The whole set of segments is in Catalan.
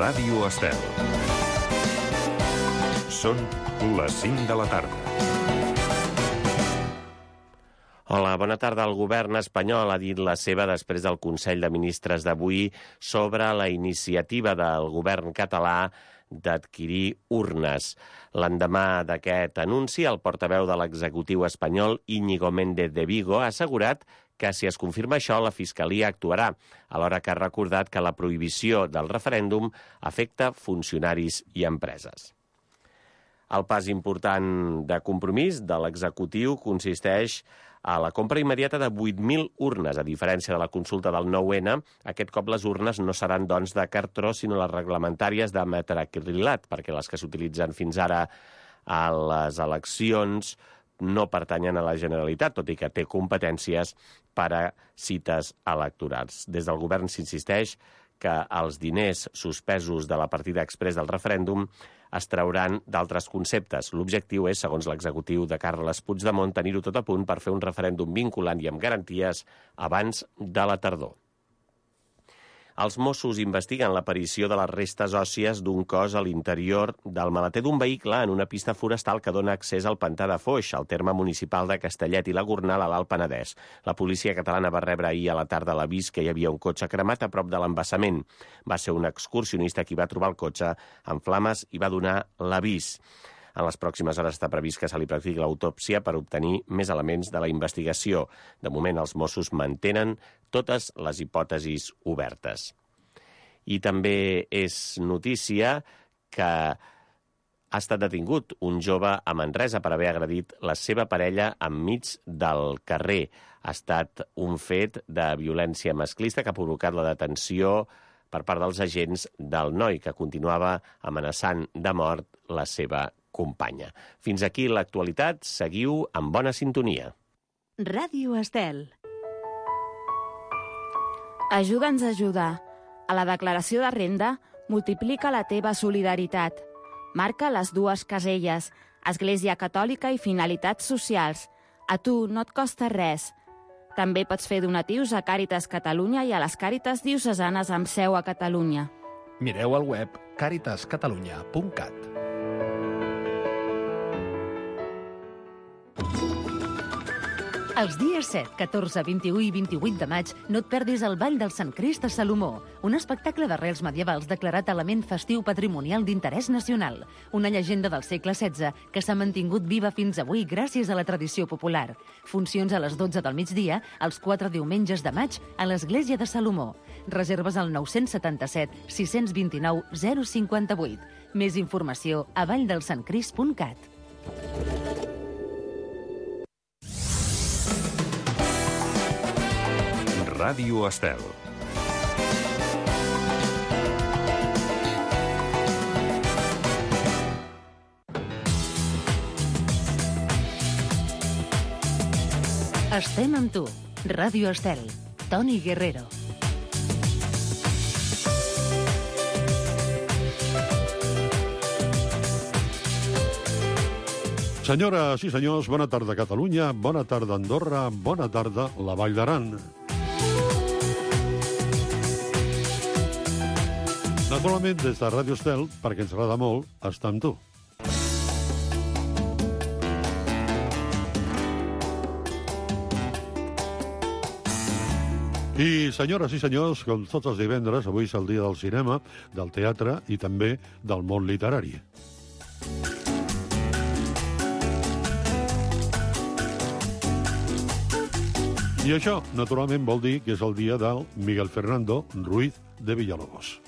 Ràdio Estel. Són les 5 de la tarda. Hola, bona tarda. El govern espanyol ha dit la seva després del Consell de Ministres d'avui sobre la iniciativa del govern català d'adquirir urnes. L'endemà d'aquest anunci, el portaveu de l'executiu espanyol, Íñigo Méndez de Vigo, ha assegurat que si es confirma això, la Fiscalia actuarà, alhora que ha recordat que la prohibició del referèndum afecta funcionaris i empreses. El pas important de Compromís de l'executiu consisteix a la compra immediata de 8.000 urnes. A diferència de la consulta del 9-N, aquest cop les urnes no seran, doncs, de cartró, sinó les reglamentàries de metacrilat, perquè les que s'utilitzen fins ara a les eleccions no pertanyen a la Generalitat, tot i que té competències per a cites electorals. Des del govern s'insisteix que els diners suspesos de la partida exprés del referèndum es trauran d'altres conceptes. L'objectiu és, segons l'executiu de Carles Puigdemont, tenir-ho tot a punt per fer un referèndum vinculant i amb garanties abans de la tardor. Els Mossos investiguen l'aparició de les restes òssies d'un cos a l'interior del maleter d'un vehicle en una pista forestal que dona accés al pantà de Foix, al terme municipal de Castellet i la Gornal, a l'Alt Penedès. La policia catalana va rebre ahir a la tarda l'avís que hi havia un cotxe cremat a prop de l'embassament. Va ser un excursionista qui va trobar el cotxe en flames i va donar l'avís. En les pròximes hores està previst que se li practiqui l'autòpsia per obtenir més elements de la investigació. De moment, els Mossos mantenen totes les hipòtesis obertes. I també és notícia que ha estat detingut un jove a Manresa per haver agredit la seva parella enmig del carrer. Ha estat un fet de violència masclista que ha provocat la detenció per part dels agents del noi, que continuava amenaçant de mort la seva companya. Fins aquí l'actualitat. Seguiu amb bona sintonia. Ràdio Estel. Ajuda'ns a ajudar. A la declaració de renda, multiplica la teva solidaritat. Marca les dues caselles, Església Catòlica i finalitats socials. A tu no et costa res. També pots fer donatius a Càritas Catalunya i a les Càritas diocesanes amb seu a Catalunya. Mireu al web caritascatalunya.cat. Els dies 7, 14, 21 i 28 de maig no et perdis el Ball del Sant Crist a Salomó, un espectacle d'arrels medievals declarat element festiu patrimonial d'interès nacional, una llegenda del segle XVI que s'ha mantingut viva fins avui gràcies a la tradició popular. Funcions a les 12 del migdia, els 4 diumenges de maig, a l'Església de Salomó. Reserves al 977 629 058. Més informació a valldelsantcrist.cat. Ràdio Estel. Estem amb tu. Ràdio Estel. Toni Guerrero. Senyores i senyors, bona tarda Catalunya, bona tarda Andorra, bona tarda la Vall d'Aran. Naturalment, des de Ràdio Estel, perquè ens agrada molt, estar amb tu. I, senyores i senyors, com tots els divendres, avui és el dia del cinema, del teatre i també del món literari. I això, naturalment, vol dir que és el dia del Miguel Fernando Ruiz de Villalobos.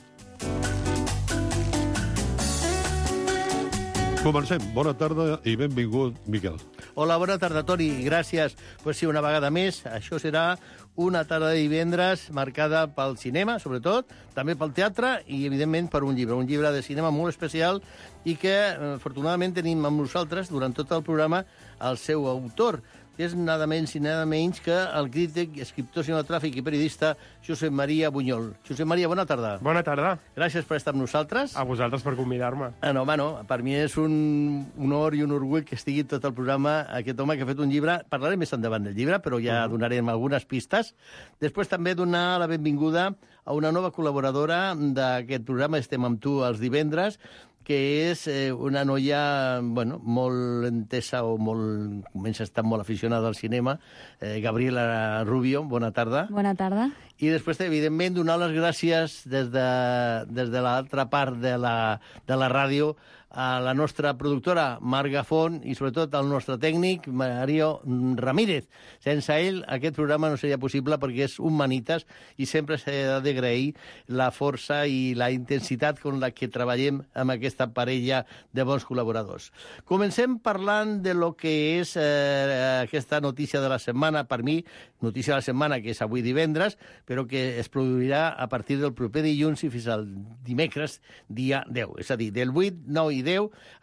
Comencem. Bona tarda i benvingut, Miquel. Hola, bona tarda, Toni. Gràcies. Pues sí, una vegada més. Això serà una tarda de divendres marcada pel cinema, sobretot, també pel teatre i, evidentment, per un llibre de cinema molt especial i que, afortunadament, tenim amb nosaltres, durant tot el programa, el seu autor. És nada menys i nada menys que el crític, escriptor cinematogràfic i periodista Josep Maria Buñol. Josep Maria, bona tarda. Bona tarda. Gràcies per estar amb nosaltres. A vosaltres per convidar-me. Bueno, per mi és un honor i un orgull que estigui tot el programa aquest home que ha fet un llibre. Parlarem més endavant del llibre, però ja donarem algunes pistes. Després també donar la benvinguda a una nova col·laboradora d'aquest programa, Estem amb tu els divendres, que és una noia molt entesa o comença a estar molt aficionada al cinema, Gabriela Rubio, bona tarda. Bona tarda. I després, evidentment, donar les gràcies des de l'altra part de la ràdio a la nostra productora, Marc Gafón, i sobretot al nostre tècnic, Mario Ramírez. Sense ell, aquest programa no seria possible perquè és un manites i sempre s'ha d'agrair la força i la intensitat amb la que treballem amb aquesta parella de bons col·laboradors. Comencem parlant de lo que és aquesta notícia de la setmana, per mi, notícia de la setmana, que és avui divendres, però que es produirà a partir del proper dilluns i fins al dimecres, dia 10. És a dir, del 8, 9 i 10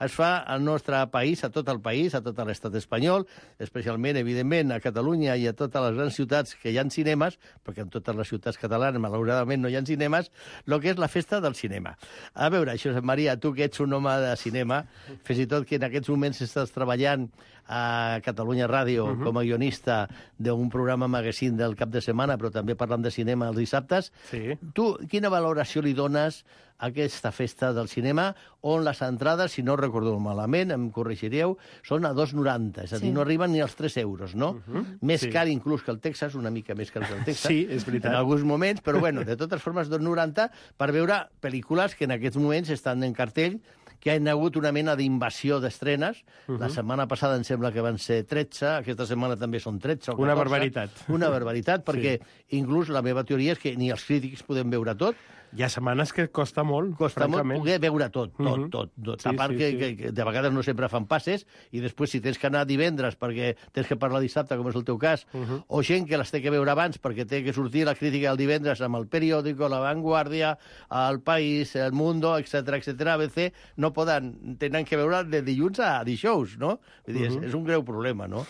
es fa al nostre país, a tot el país, a tot l'estat espanyol, especialment, evidentment, a Catalunya i a totes les grans ciutats que hi ha cinemes, perquè en totes les ciutats catalanes, malauradament, no hi ha cinemes, el que és la festa del cinema. A veure, Josep Maria, tu que ets un home de cinema, fins i tot que en aquests moments estàs treballant a Catalunya Ràdio com a guionista d'un programa magazine del cap de setmana, però també parlant de cinema els dissabtes. Sí. Tu, quina valoració li dones a aquesta festa del cinema, on les entrades, si no recordo malament, em corregireu, són a 2,90, és a dir, no arriben ni als 3 euros, no? Més car inclús que el Texas, una mica més car que el Texas. Sí, és veritat. En alguns moments, però bueno, de totes formes, 2,90 per veure pel·lícules que en aquests moments estan en cartell, que hi ha hagut una mena d'invasió d'estrenes. La setmana passada em sembla que van ser 13, aquesta setmana també són 13 o 14. Una barbaritat. Una barbaritat, perquè inclús la meva teoria és que ni els crítics podem veure tot. Hi ha setmanes que costa molt, Costa molt francament. poder veure tot. Sí, A part que de vegades no sempre fan passes, i després si tens que anar divendres perquè tens que parlar dissabte, com és el teu cas, o gent que les té que veure abans perquè té que sortir la crítica el divendres amb el periòdico, La Vanguardia, El País, El Mundo, etc ABC, no poden, tenen que veure de dilluns a dijous, no? Vull dir, és un greu problema, no?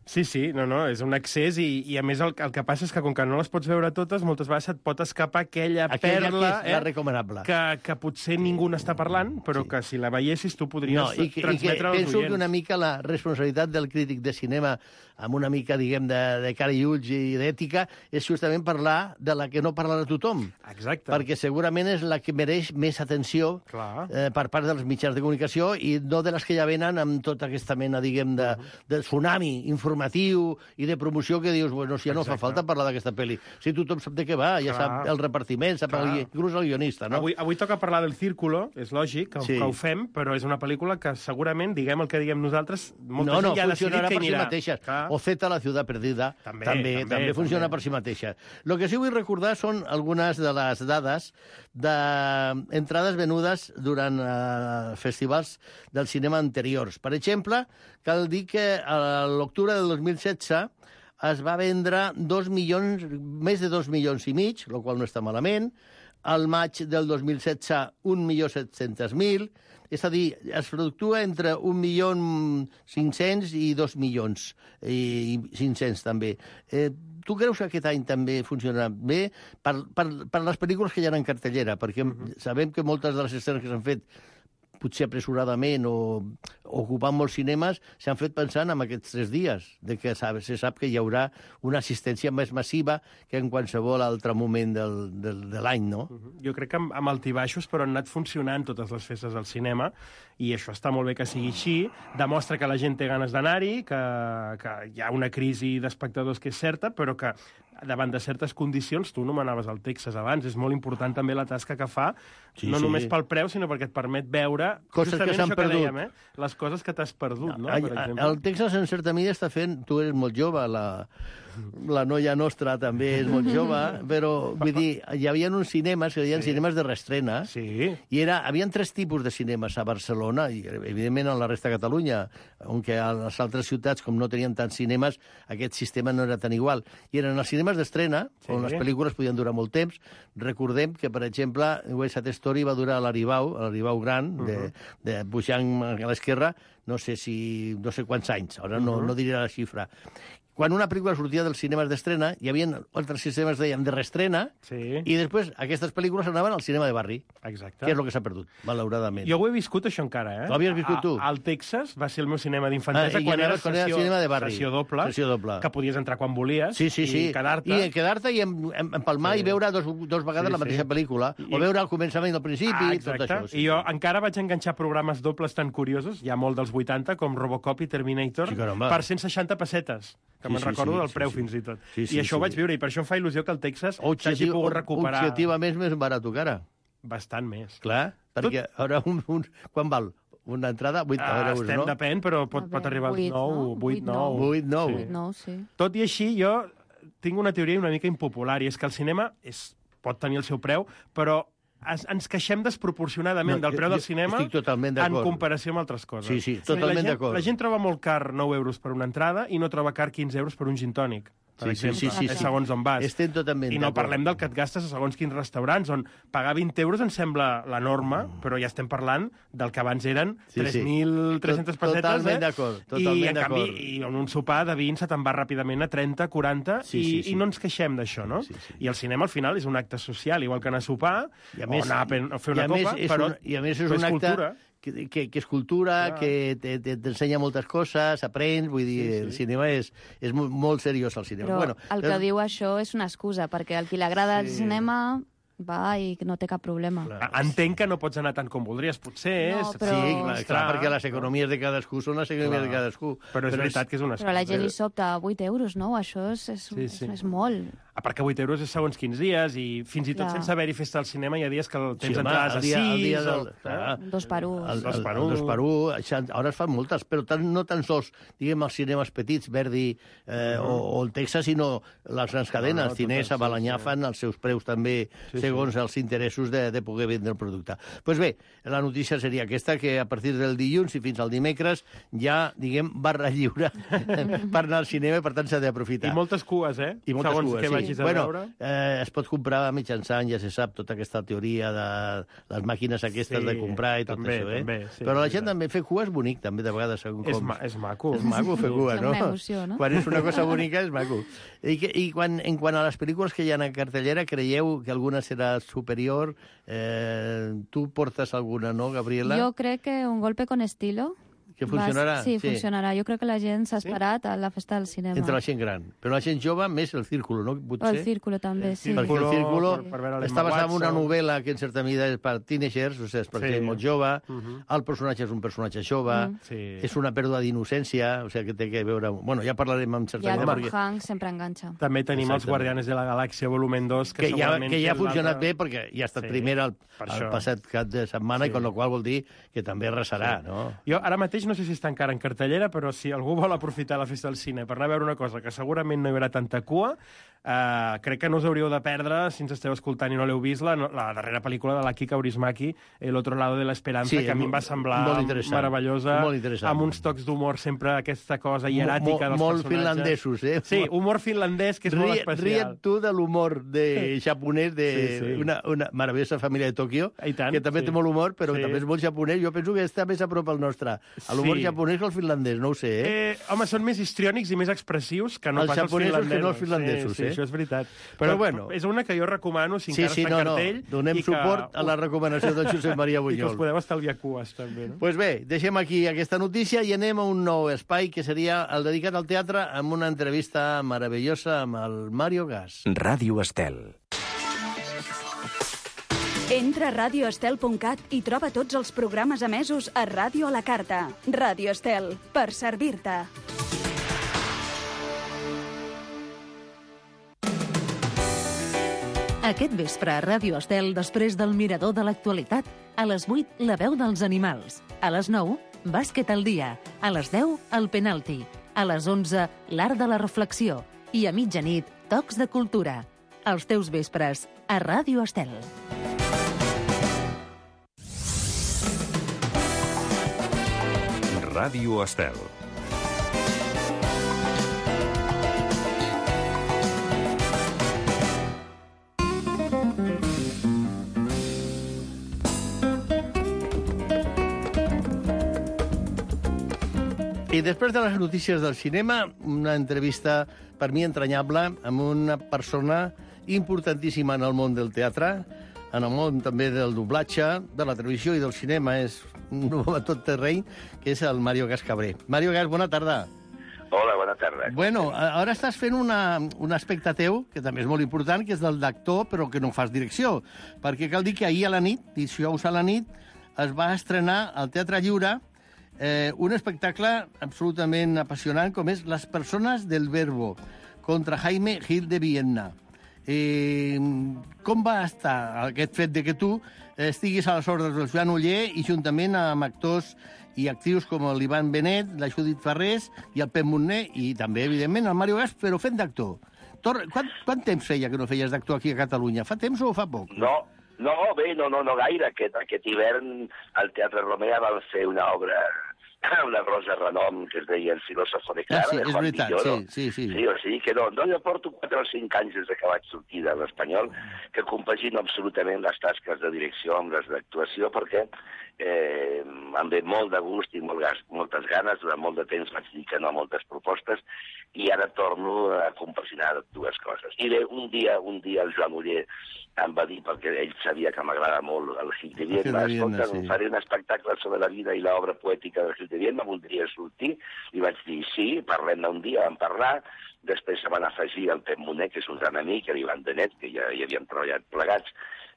Sí, no, és un excés i a més el que passa és que com que no les pots veure totes, moltes vegades et pot escapar aquella perla que és la recomanable. Que potser ningú n'està parlant, però que si la veiessis tu podries transmetre als penso oients. que una mica la responsabilitat del crític de cinema, amb una mica, diguem, de cara i ulls i d'ètica, és justament parlar de la que no parlarà tothom. Exacte. Perquè segurament és la que mereix més atenció per part dels mitjans de comunicació i no de les que ja venen amb tota aquesta mena, diguem, de tsunami informatiu i de promoció que dius, bueno, si ja no fa falta parlar d'aquesta pel·li. Si tothom sap de què va, ja sap el repartiment, sap inclús el guionista, no? Avui toca parlar del Círculo, és lògic que ho fem, però és una pel·lícula que segurament, diguem el que diguem nosaltres, molta gent ja ha decidit que hi anirà. O Zeta, la ciutat perdida, també funciona per si mateixa. El que sí vull recordar són algunes de les dades d'entrades venudes durant festivals del cinema anteriors. Per exemple, cal dir que a l'octubre del 2016 es va vendre més de 2 milions i mig, el qual no està malament. Al maig del 2016, 1.700.000. És a dir, es fluctua entre 1.500.000 i 2 milions i 500 també. Tu creus que aquest any també funcionarà bé per les pel·lícules que hi ha en cartellera? Perquè sabem que moltes de les escenes que s'han fet potser apressuradament o ocupant molts cinemes, s'han fet pensant en aquests 3 dies, de que se sap que hi haurà una assistència més massiva que en qualsevol altre moment de l'any, no? Jo crec que amb altibaixos, però han anat funcionant totes les festes del cinema, i això està molt bé que sigui així, demostra que la gent té ganes d'anar-hi, que hi ha una crisi d'espectadors que és certa, però que davant de certes condicions, tu nomenaves el Texas abans, és molt important també la tasca que fa, no només pel preu, sinó perquè et permet veure coses que s'han perdut. Dèiem, les coses que t'has perdut, no? Per exemple. El Texas, en certa mida, està fent... Tu eres molt jove, la noia nostra també és molt jove, però, vull dir, hi havia uns cinemes, que hi havia cinemes de reestrena, i hi havia 3 tipus de cinemes a Barcelona, i evidentment a la resta de Catalunya, on que a les altres ciutats, com no tenien tants cinemes, aquest sistema no era tan igual. I eren els cinemes d'estrena, on les pel·lícules podien durar molt temps. Recordem que, per exemple, West Side Story va durar a l'Aribau Gran, pujant a l'esquerra, no sé quants anys, ara no diré la xifra. quan una pel·lícula sortia dels cinemes d'estrena, hi havia altres sistemes, dèiem, de reestrena, Sí. i després aquestes pel·lícules anaven al cinema de barri, Exacte. que és el que s'ha perdut, malauradament. Jo ho he viscut, això, encara, eh? Ho havies viscut tu? Al Texas va ser el meu cinema d'infantesa, I quan era anaves quan era cinema de barri. sessió doble, Sessió doble. que podies entrar quan volies Sí, sí, sí. i quedar-te. I quedar-te i empalmar Sí. i veure dos vegades la mateixa pel·lícula, o veure al començament i al principi, tot exacte. això. Sí. I jo encara vaig enganxar programes dobles tan curiosos, ja molt dels 80, com Robocop i Terminator, Sí, caramba. per 160 pessetes, que Sí, me'n sí, recordo sí, del sí, preu sí. fins i tot. Sí, sí, I això ho sí. vaig viure, i per això em fa il·lusió que el Texas s'hagi pogut recuperar Objectivament més barat que ara. bastant més. Clar, perquè ara quan val? Una entrada? 8 euros, no? Depèn, però pot arribar als 9, 8, 9. 8, 9. 8, 9, sí. Tot i així, jo tinc una teoria una mica impopular, i és que el cinema pot tenir el seu preu, però ens queixem desproporcionadament del preu del cinema estic totalment en d'acord. comparació amb altres coses. Sí, sí, totalment d'acord. La gent troba molt car 9 euros per una entrada i no troba car 15 euros per un gin tònic, per exemple, segons on vas. Estem totalment I no d'acord. parlem del que et gastes a segons quins restaurants, on pagar 20 euros ens sembla la norma, però ja estem parlant del que abans eren 3.300 pessetes. Totalment d'acord, totalment I, en canvi, d'acord. i en un sopar de 20 se te'n va ràpidament a 30, 40, i no ens queixem d'això, no? I el cinema, al final, és un acte social, igual que anar a sopar, o anar a fer una copa, però I a més és un acte cultura. que és cultura, que t'ensenya moltes coses, aprens, vull dir, el cinema és molt seriós, el cinema. Però el que diu això és una excusa, perquè al qui li agrada el cinema va i no té cap problema. Entenc que no pots anar tant com voldries, potser. No, però- Sí, clar, perquè les economies de cadascú són les economies de cadascú. Però és veritat que és una excusa. Però a la gent li sobta 8 euros, no? Això és molt. A part que 8 euros és segons quins dies, i fins i tot Clar. sense haver-hi festa al cinema hi ha dies que tens home, entrades a 6... el dia Un 2 per 1. El 2 per 1, ara es fan moltes, però no tan sols, diguem, els cinemes petits, Verdi o el Texas, sinó les grans cadenes. Cinesa, Balanyà fan els seus preus també, segons els interessos de poder vendre el producte. Doncs bé, la notícia seria aquesta, que a partir del dilluns i fins al dimecres ja, diguem, barra lliure per anar al cinema, i per tant s'ha d'aprofitar. I moltes cues, eh? I moltes segons cues, què sí. vagis a Bueno, veure. es pot comprar mitjançant, ja se sap, tota aquesta teoria de les màquines aquestes Sí, de comprar i tot també, això, eh? també, sí, Però la és gent veritat. també fer cua és bonic, també, de vegades, segons com. És maco. És maco fer cua, no? És una emoció, no? Quan és una cosa bonica és maco. I en quant a les pel·lícules que hi ha a cartellera, creieu que alguna serà superior? Tu portes alguna, no, Gabriela? Jo crec que Un golpe con estilo... Que funcionarà? Sí, funcionarà. Jo crec que la gent s'ha esperat a la festa del cinema. Entre la gent gran. Però la gent jove, més el círculo, no? O el Círculo, també, sí. Perquè el Círculo per veure l'Emma està basat en una Watson. novel·la que en certa mida és per teenagers, o sigui, és per gent molt jove, el personatge és un personatge jove, és una pèrdua d'innocència, o sigui, que té que veure... Bueno, ja parlarem amb certa I el mida, Tom Hanks sempre enganxa. També tenim els Exactament. Guardianes de la Galàxia volumen 2, que ja segurament ha és funcionat l'altre. bé perquè ja ha estat Sí, primera per el això. passat cap de setmana, i con la qual vol dir que també arrasarà, no? Jo ara mateix no sé si està encara en cartellera, però si algú vol aprofitar la festa del cine per anar a veure una cosa que segurament no hi haurà tanta cua, crec que no us hauríeu de perdre, si ens esteu escoltant i no l'heu vist, la darrera pel·lícula de la Kika Kaurismäki, El otro lado de la esperanza, Sí, que a mi em va semblar molt interessant, meravellosa, molt interessant. amb uns tocs d'humor sempre, aquesta cosa hieràtica dels Molt personatges. finlandesos, eh? Sí, humor finlandès, que és molt especial. Ria't tu de l'humor japonès de una meravellosa família de Tòquio, I tant, que també sí. té molt humor, però Sí. també és molt japonès. Jo penso que està més a prop al nostre. A l'humor Sí. japonès que el finlandès, no ho sé, eh? Home, són més histriònics i més expressius que no Els pas els japonesos finlandesos. que no els finlandesos, sí, eh? això és veritat. Però bueno. És una que jo recomano, si encara està en cartell. Donem i que suport a la recomanació del Josep Maria I que us Bunyol. podeu estalviar cues, també, no? Pues bé, deixem aquí aquesta notícia i anem a un nou espai que seria el dedicat al teatre, amb una entrevista meravellosa amb el Mario Gas. Ràdio Estel. Entra a radioestel.cat i troba tots els programes emesos a Ràdio a la Carta. Ràdio Estel, per servir-te. Aquest vespre a Ràdio Estel, després del Mirador de l'actualitat, a les 8, La veu dels animals. A les 9, Bàsquet al dia. A les 10, El penalti. A les 11, L'art de la reflexió. I a mitjanit, Tocs de cultura. Els teus vespres, a Ràdio Estel. Ràdio Estel. I després de les notícies del cinema, una entrevista per mi entranyable amb una persona importantíssima en el món del teatre, en el món també del doblatge, de la televisió i del cinema, és un home tot terreny, que és el Mario Gas Cabré. Mario Gas, bona tarda. Hola, bona tarda. Bueno, ara estàs fent un aspecte teu, que també és molt important, que és el d'actor, però que no fas direcció. Perquè cal dir que ahir a la nit, dijous a la nit, es va estrenar al Teatre Lliure un espectacle absolutament apassionant, com és Les persones del verbo, contra Jaime Gil de Vienna. Com va estar aquest fet de que tu estiguis a les ordres del Joan Oller i juntament amb actors i actrius com l'Ivan Benet, la Judit Farrés i el Pep Montner i també, evidentment, el Mario Gas, però fent d'actor. Quant temps feia que no feies d'actor aquí a Catalunya? Fa temps o fa poc? No gaire. Aquest hivern al Teatre Romea van fer una obra, una rosa renom, que es deia El filòsofo de Clara, de Juan Villoro. Sí. O sigui que no, jo porto 4 o 5 anys des que vaig sortir de l'Espanyol, que compagino absolutament les tasques de direcció amb les d'actuació, perquè em ve molt de gust i moltes ganes. Durant molt de temps vaig dir que no a moltes propostes i ara torno a compaginar dues coses. I bé, un dia el Joan Oller em va dir, perquè ell sabia que m'agrada molt el Gil de Vienna, escolta, faré un espectacle sobre la vida i l'obra poètica del Gil de Vienna, voldria sortir? I vaig dir, sí, parlem-ne un dia, vam parlar. Després se van afegir el Pep Montner, que és un gran amic, l'Ivan Benet, que ja hi havíem treballat plegats,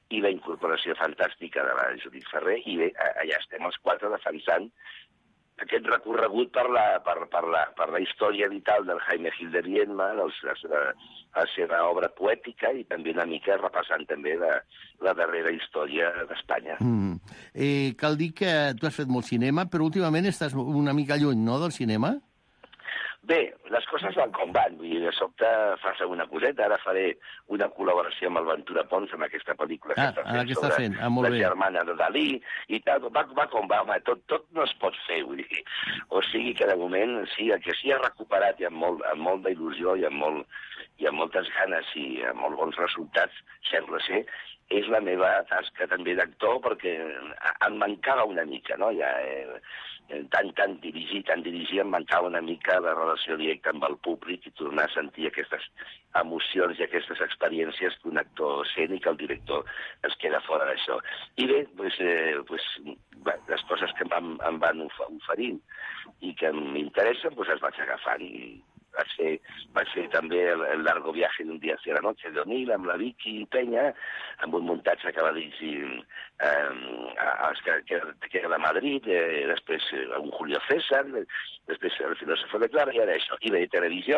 i la incorporació fantàstica de la Judit Ferrer, i bé, allà estem els 4 defensant aquest recorregut per la història vital del Jaime Gil de Vienna, la seva obra poètica, i també una mica repassant també la darrera història d'Espanya. Cal dir que tu has fet molt cinema, però últimament estàs una mica lluny, no?, del cinema? Bé, les coses van com van. Vull dir, de sobte fas una coseta. Ara faré una col·laboració amb el Ventura Pons en aquesta pel·lícula que està fent sobre la germana de Dalí i tal. Va com va, home. Tot no es pot fer, vull dir. O sigui que de moment, sí, el que sí ha recuperat i amb molta il·lusió i amb moltes ganes i amb molt bons resultats, sembla ser, és la meva tasca també d'actor, perquè em mancava una mica, no? Ja, tant dirigir, em mancava una mica la relació directa amb el públic i tornar a sentir aquestes emocions i aquestes experiències que un actor sent i que el director es queda fora d'això. I bé, les coses que em van oferint i que m'interessen, es vaig agafant. Vaig fer també el largo viaje d'un dia hacia la noche d'Onil amb la Vicky Peña, amb un muntatge que va dirigir que era de Madrid, després un Julio César, després el filòsofo de Clara, i ara això. I bé, televisió,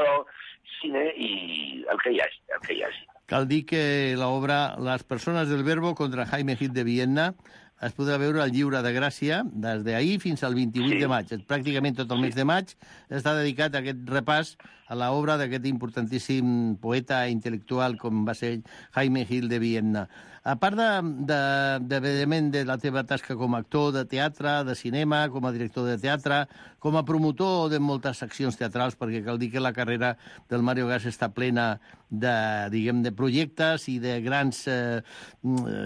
cine i el que hi hagi. Cal dir que l'obra Les persones del verbo contra Jaime Gil de Vienna es podrà veure al Lliure de Gràcia des d'ahir fins al 28 de maig. Pràcticament tot el mes de maig està dedicat a aquest repàs a l'obra d'aquest importantíssim poeta intel·lectual com va ser Jaime Gil de Vienna. A part de la teva tasca com a actor de teatre, de cinema, com a director de teatre, com a promotor de moltes seccions teatrals, perquè cal dir que la carrera del Mario Gas està plena de projectes i de grans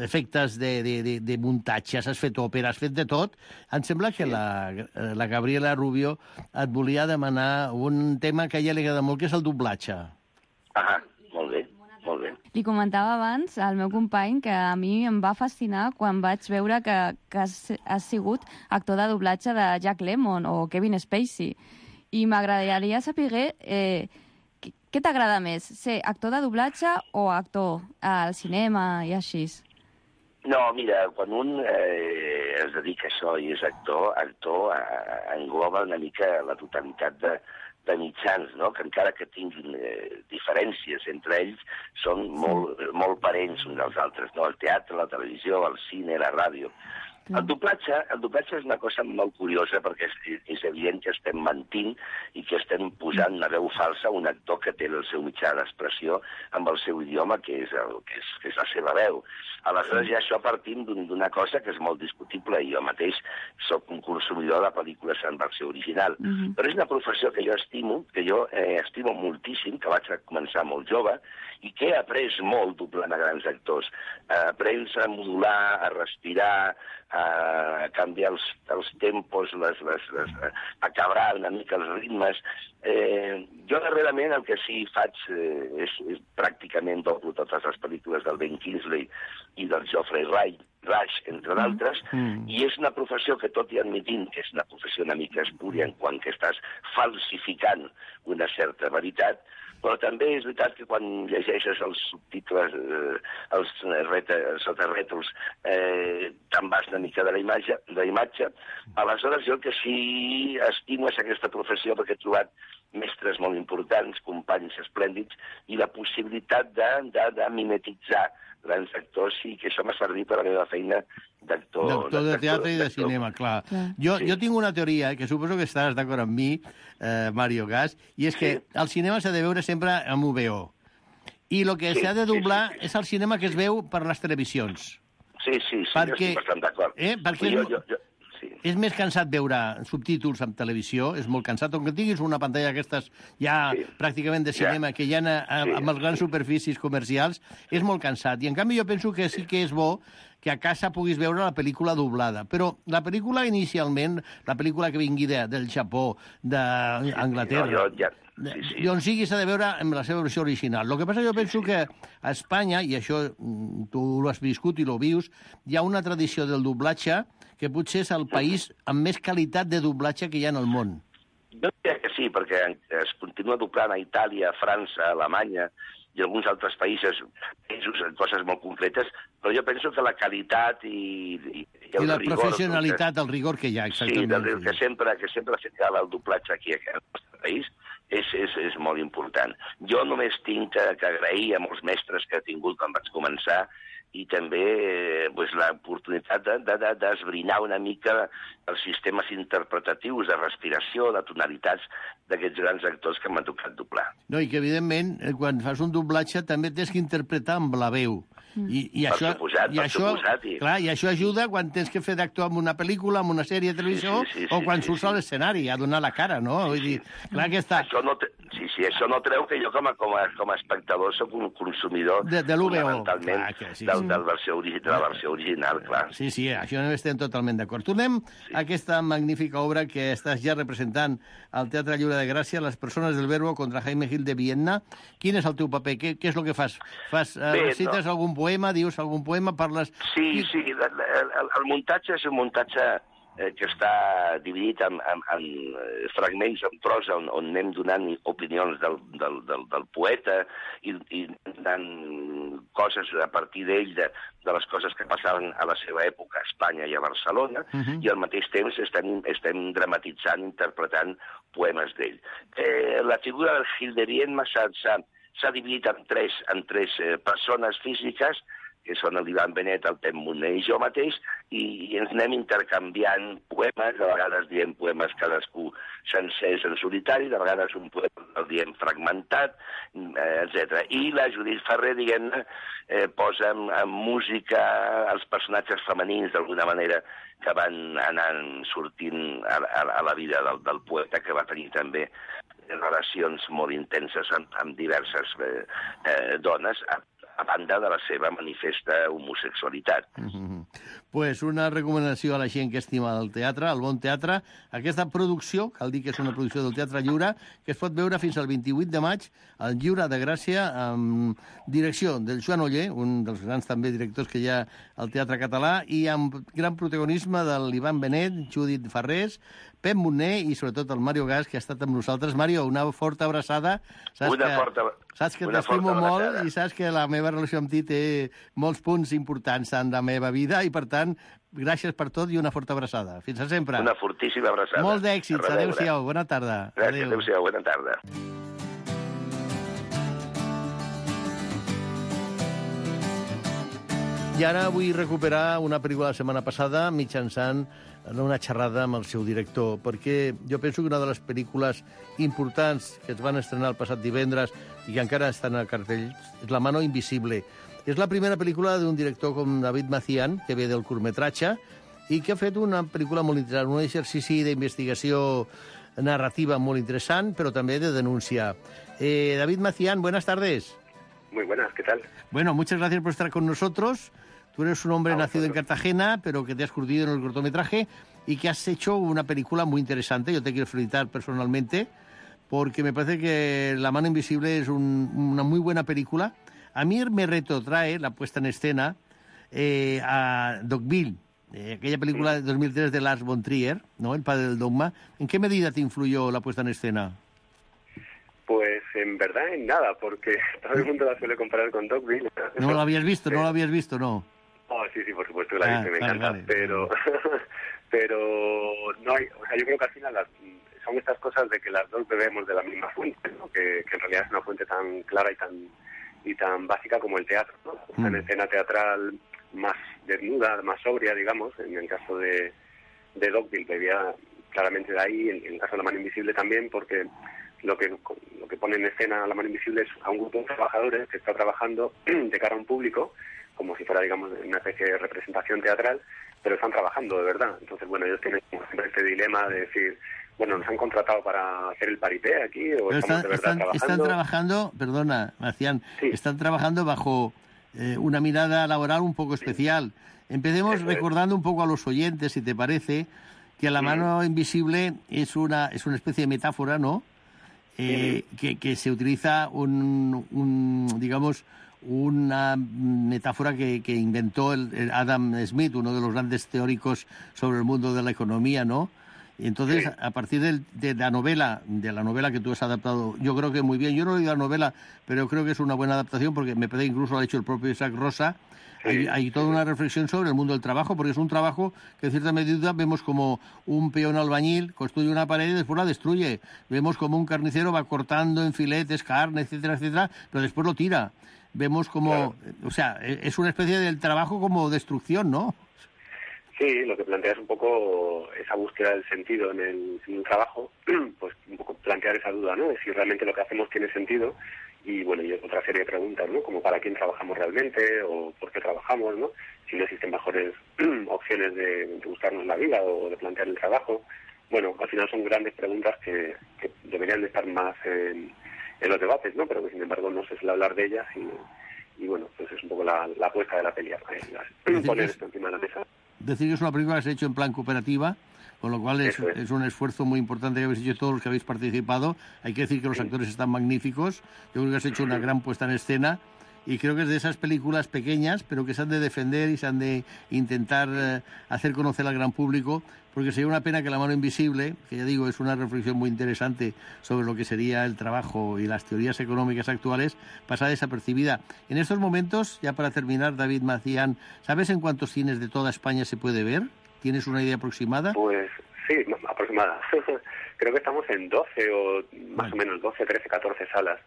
efectes de muntatges. Has fet òpera, has fet de tot. Em sembla que la Gabriela Rubio et volia demanar un tema que a ella li agrada molt, que és el doblatge. Molt bé. Li comentava abans al meu company que a mi em va fascinar quan vaig veure que has sigut actor de doblatge de Jack Lemmon o Kevin Spacey. I m'agradaria saber què t'agrada més, ser actor de doblatge o actor al cinema i així? No, mira, quan un es dedica a això i és actor engloba una mica la totalitat de mitjans, no? Que encara que tinguin diferències entre ells, són molt parents uns dels altres, no? El teatre, la televisió, el cine, la ràdio. El doblatge és una cosa molt curiosa perquè és evident que estem mentint i que estem posant una veu falsa a un actor que té el seu mitjà d'expressió amb el seu idioma, que és la seva veu. Aleshores, ja això partim d'una cosa que és molt discutible, i jo mateix soc un consumidor de pel·lícules en versió original. Però és una professió que jo estimo moltíssim, que vaig començar molt jove, i que he après molt doblant a grans actors. Aprens a modular, a respirar, canviar els tempos, acabar una mica els ritmes. Jo darrerament el que sí faig és pràcticament doblo totes les pel·lícules del Ben Kingsley i del Geoffrey Rush, entre d'altres, i és una professió que, tot i admitint que és una professió una mica espúria en quant que estàs falsificant una certa veritat, però també és veritat que quan llegeixes els subtitles, els sotarrètols, te'n vas una mica de la imatge. Aleshores, jo el que sí estimo és aquesta professió perquè he trobat mestres molt importants, companys esplèndids, i la possibilitat de mimetitzar grans actors, i que això m'ha servit per a la meva feina d'actor. D'actor de teatre i de cinema, clar. Jo tinc una teoria, que suposo que estaràs d'acord amb mi, Mario Gas, i és que el cinema s'ha de veure sempre amb VO. I el que s'ha de doblar és el cinema que es veu per les televisions. Sí, jo estic bastant d'acord. Perquè és més cansat veure subtítols en televisió, és molt cansat, on que tinguis una pantalla d'aquestes ja pràcticament de cinema, que hi ha amb les grans superfícies comercials, és molt cansat. I en canvi jo penso que sí que és bo que a casa puguis veure la pel·lícula doblada. Però la pel·lícula inicialment, la pel·lícula que vingui del Japó, d'Anglaterra, on sigui s'ha de veure amb la seva versió original. El que passa, jo penso que a Espanya, i això tu ho has viscut i ho vius, hi ha una tradició del doblatge que potser és el país amb més qualitat de doblatge que hi ha en el món. Jo diria que sí, perquè es continua doblant a Itàlia, a França, a Alemanya i alguns altres països en coses molt concretes, però jo penso que la qualitat i el la rigor... professionalitat, el rigor que hi ha, exactament. Sí, que sempre ha fet el doblatge aquí al nostre país és molt important. Jo només tinc que agrair a molts mestres que he tingut quan vaig començar, i també l'oportunitat d'esbrinar una mica els sistemes interpretatius de respiració, de tonalitats d'aquests grans actors que m'han tocat doblar. No, i que, evidentment, quan fas un doblatge també tens que interpretar amb la veu. I això ajuda quan tens que fer d'actor en una pel·lícula, en una sèrie de televisió, o quan surts a l'escenari, a donar la cara, no? Vull dir, clar que està... Això no treu que jo com a espectador soc un consumidor fonamentalment de la versió original, clar. Sí, això no estem totalment d'acord. Tornem a aquesta magnífica obra que estàs ja representant al Teatre Lliure de Gràcia, Les persones del Verbo contra Jaime Gil de Vienna. Quin és el teu paper? Què és el que fas? Recites algun poema, dius algun poema, parles... Sí, el muntatge és un muntatge que està dividit en fragments en prosa on anem donant opinions del poeta i donant coses a partir d'ell, de les coses que passaven a la seva època a Espanya i a Barcelona, i al mateix temps estem dramatitzant, interpretant poemes d'ell. La figura del Gil de Vienna s'ha dividit en tres persones físiques, que són l'Ivan Benet, el Pep Moner i jo mateix, i ens anem intercanviant poemes, de vegades diem poemes cadascú sencers en solitari, de vegades un poema el diem fragmentat, etc. I la Judit Ferrer, diguem-ne, posa en música els personatges femenins, d'alguna manera, que van anant sortint a la vida del poeta, que va tenir també relacions molt intenses amb diverses dones, a banda de la seva manifesta homosexualitat. Pues una recomanació a la gent que estima el teatre, el bon teatre. Aquesta producció, cal dir que és una producció del Teatre Lliure, que es pot veure fins al 28 de maig al Lliure de Gràcia, amb direcció del Joan Oller, un dels grans també directors que hi ha al teatre català, i amb gran protagonisme de l'Ivan Benet, Judit Farrés, Pep Moner i sobretot el Mario Gas, que ha estat amb nosaltres. Mario, una forta abraçada. Saps que t'estimo molt i saps que la meva relació amb ti té molts punts importants en la meva vida i, per tant, gràcies per tot i una forta abraçada. Fins a sempre. Una fortíssima abraçada. Molts d'èxits. Adéu-siau. Bona tarda. Gràcies. Adéu-siau. Bona tarda. I ara vull recuperar una pel·lícula de la setmana passada mitjançant una xerrada amb el seu director, perquè jo penso que una de les pel·lícules importants que es van estrenar el passat divendres i que encara estan al cartell és La mano invisible. És la primera pel·lícula d'un director com David Macián, que ve del curtmetratge, i que ha fet una pel·lícula molt interessant, un exercici d'investigació narrativa molt interessant, però també de denúncia. David Macián, buenas tardes. Muy buenas, ¿qué tal? Bueno, muchas gracias por estar con nosotros. Tú eres un hombre nacido en Cartagena, pero que te has curtido en el cortometraje y que has hecho una película muy interesante. Yo te quiero felicitar personalmente, porque me parece que La mano invisible es una muy buena película. A mí me retrotrae la puesta en escena a Dogville, aquella película de 2003 de Lars von Trier, ¿no? El padre del dogma. ¿En qué medida te influyó la puesta en escena? Pues en verdad en nada, porque todo el mundo la suele comparar con Dogville. ¿No lo habías visto? ¿No lo habías visto? No. Oh, sí, por supuesto que la he visto, me encanta. Vale. Pero no hay, o sea, yo creo que al final son estas cosas de que las dos bebemos de la misma fuente, ¿no? Que en realidad es una fuente tan clara y tan básica como el teatro, ¿no? Una escena teatral más desnuda, más sobria, digamos. En el caso de Dogville bebía claramente de ahí, en el caso de La mano invisible también, porque lo que pone en escena La mano invisible es a un grupo de trabajadores que está trabajando de cara a un público, como si fuera, digamos, una especie de representación teatral, pero están trabajando de verdad. Entonces, bueno, ellos tienen siempre este dilema de decir, bueno, ¿nos han contratado para hacer el paripé aquí o estamos de verdad trabajando? Están trabajando, perdona, Marcián, sí. Están trabajando bajo una mirada laboral un poco especial. Empecemos recordando un poco a los oyentes, si te parece, que La mano invisible es una especie de metáfora, ¿no? Que se utiliza digamos, una metáfora que inventó el Adam Smith, uno de los grandes teóricos sobre el mundo de la economía, ¿no? Y entonces, a partir de la novela que tú has adaptado, yo creo que muy bien. Yo no he leído la novela, pero creo que es una buena adaptación, porque me parece que incluso lo ha hecho el propio Isaac Rosa. Hay toda una reflexión sobre el mundo del trabajo, porque es un trabajo que en cierta medida vemos como un peón albañil construye una pared y después la destruye. Vemos como un carnicero va cortando en filetes, carne, etcétera, etcétera, pero después lo tira. Vemos como, o sea, es una especie del trabajo como destrucción, ¿no? Sí, lo que plantea es un poco esa búsqueda del sentido en el trabajo, pues un poco plantear esa duda, ¿no? De si realmente lo que hacemos tiene sentido. Y bueno, y otra serie de preguntas, ¿no? Como para quién trabajamos realmente o por qué trabajamos, ¿no? Si no existen mejores opciones de buscarnos la vida o de plantear el trabajo. Bueno, al final son grandes preguntas que deberían de estar más en los debates, ¿no? Pero que sin embargo no se suele hablar de ellas y bueno, pues es un poco la apuesta de la peli, poner esto encima de la mesa. Decir que es una película que se ha hecho en plan cooperativa, con lo cual es un esfuerzo muy importante que habéis hecho todos los que habéis participado. Hay que decir que los actores están magníficos. Yo creo que has hecho una gran puesta en escena y creo que es de esas películas pequeñas, pero que se han de defender y se han de intentar hacer conocer al gran público, porque sería una pena que La mano invisible, que ya digo, es una reflexión muy interesante sobre lo que sería el trabajo y las teorías económicas actuales, pasara desapercibida. En estos momentos, ya para terminar, David Macián, ¿sabes en cuántos cines de toda España se puede ver? ¿Tienes una idea aproximada? Pues sí, aproximada. Creo que estamos en 12 o más o menos 12, 13, 14 salas.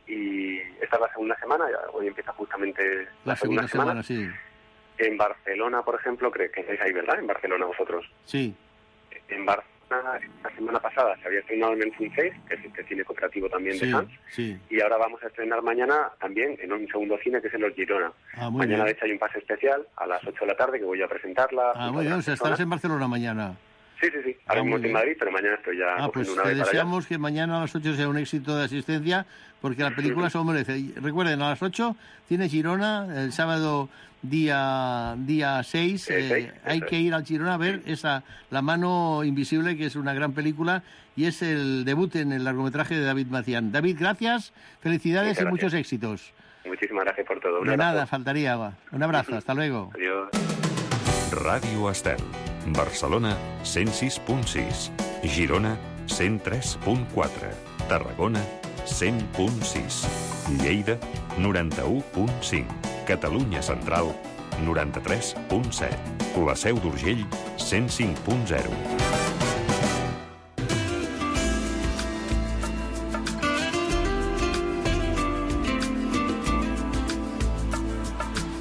Y esta es la segunda semana, hoy empieza justamente la segunda semana. Sí. En Barcelona, por ejemplo, que estáis ahí, ¿verdad? En Barcelona vosotros. Sí. En Barcelona, la semana pasada se había estrenado en el Fun 6, que es este cine cooperativo también de Sans. Sí. Y ahora vamos a estrenar mañana también en un segundo cine, que es en Los Girona. Mañana, de hecho, hay un pase especial a las 8 de la tarde que voy a presentarla. Muy bien, o sea, estarás en Barcelona mañana. Sí. Ahora mismo estoy en Madrid, pero mañana estoy ya pues una vez para deseamos que mañana a las 8 sea un éxito de asistencia, porque la película se lo merece. Recuerden, a las 8, Cine Girona, el sábado día 6, hay que ir al Girona a ver La mano invisible, que es una gran película, y es el debut en el largometraje de David Macián. David, gracias, felicidades y muchos éxitos. Muchísimas gracias por todo. De nada, faltaría. Un abrazo, hasta luego. Adiós. Ràdio Estel. Barcelona, 106.6. Girona, 103.4. Tarragona, 100.6. Lleida, 91.5. Catalunya Central, 93.7. La Seu d'Urgell, 105.0.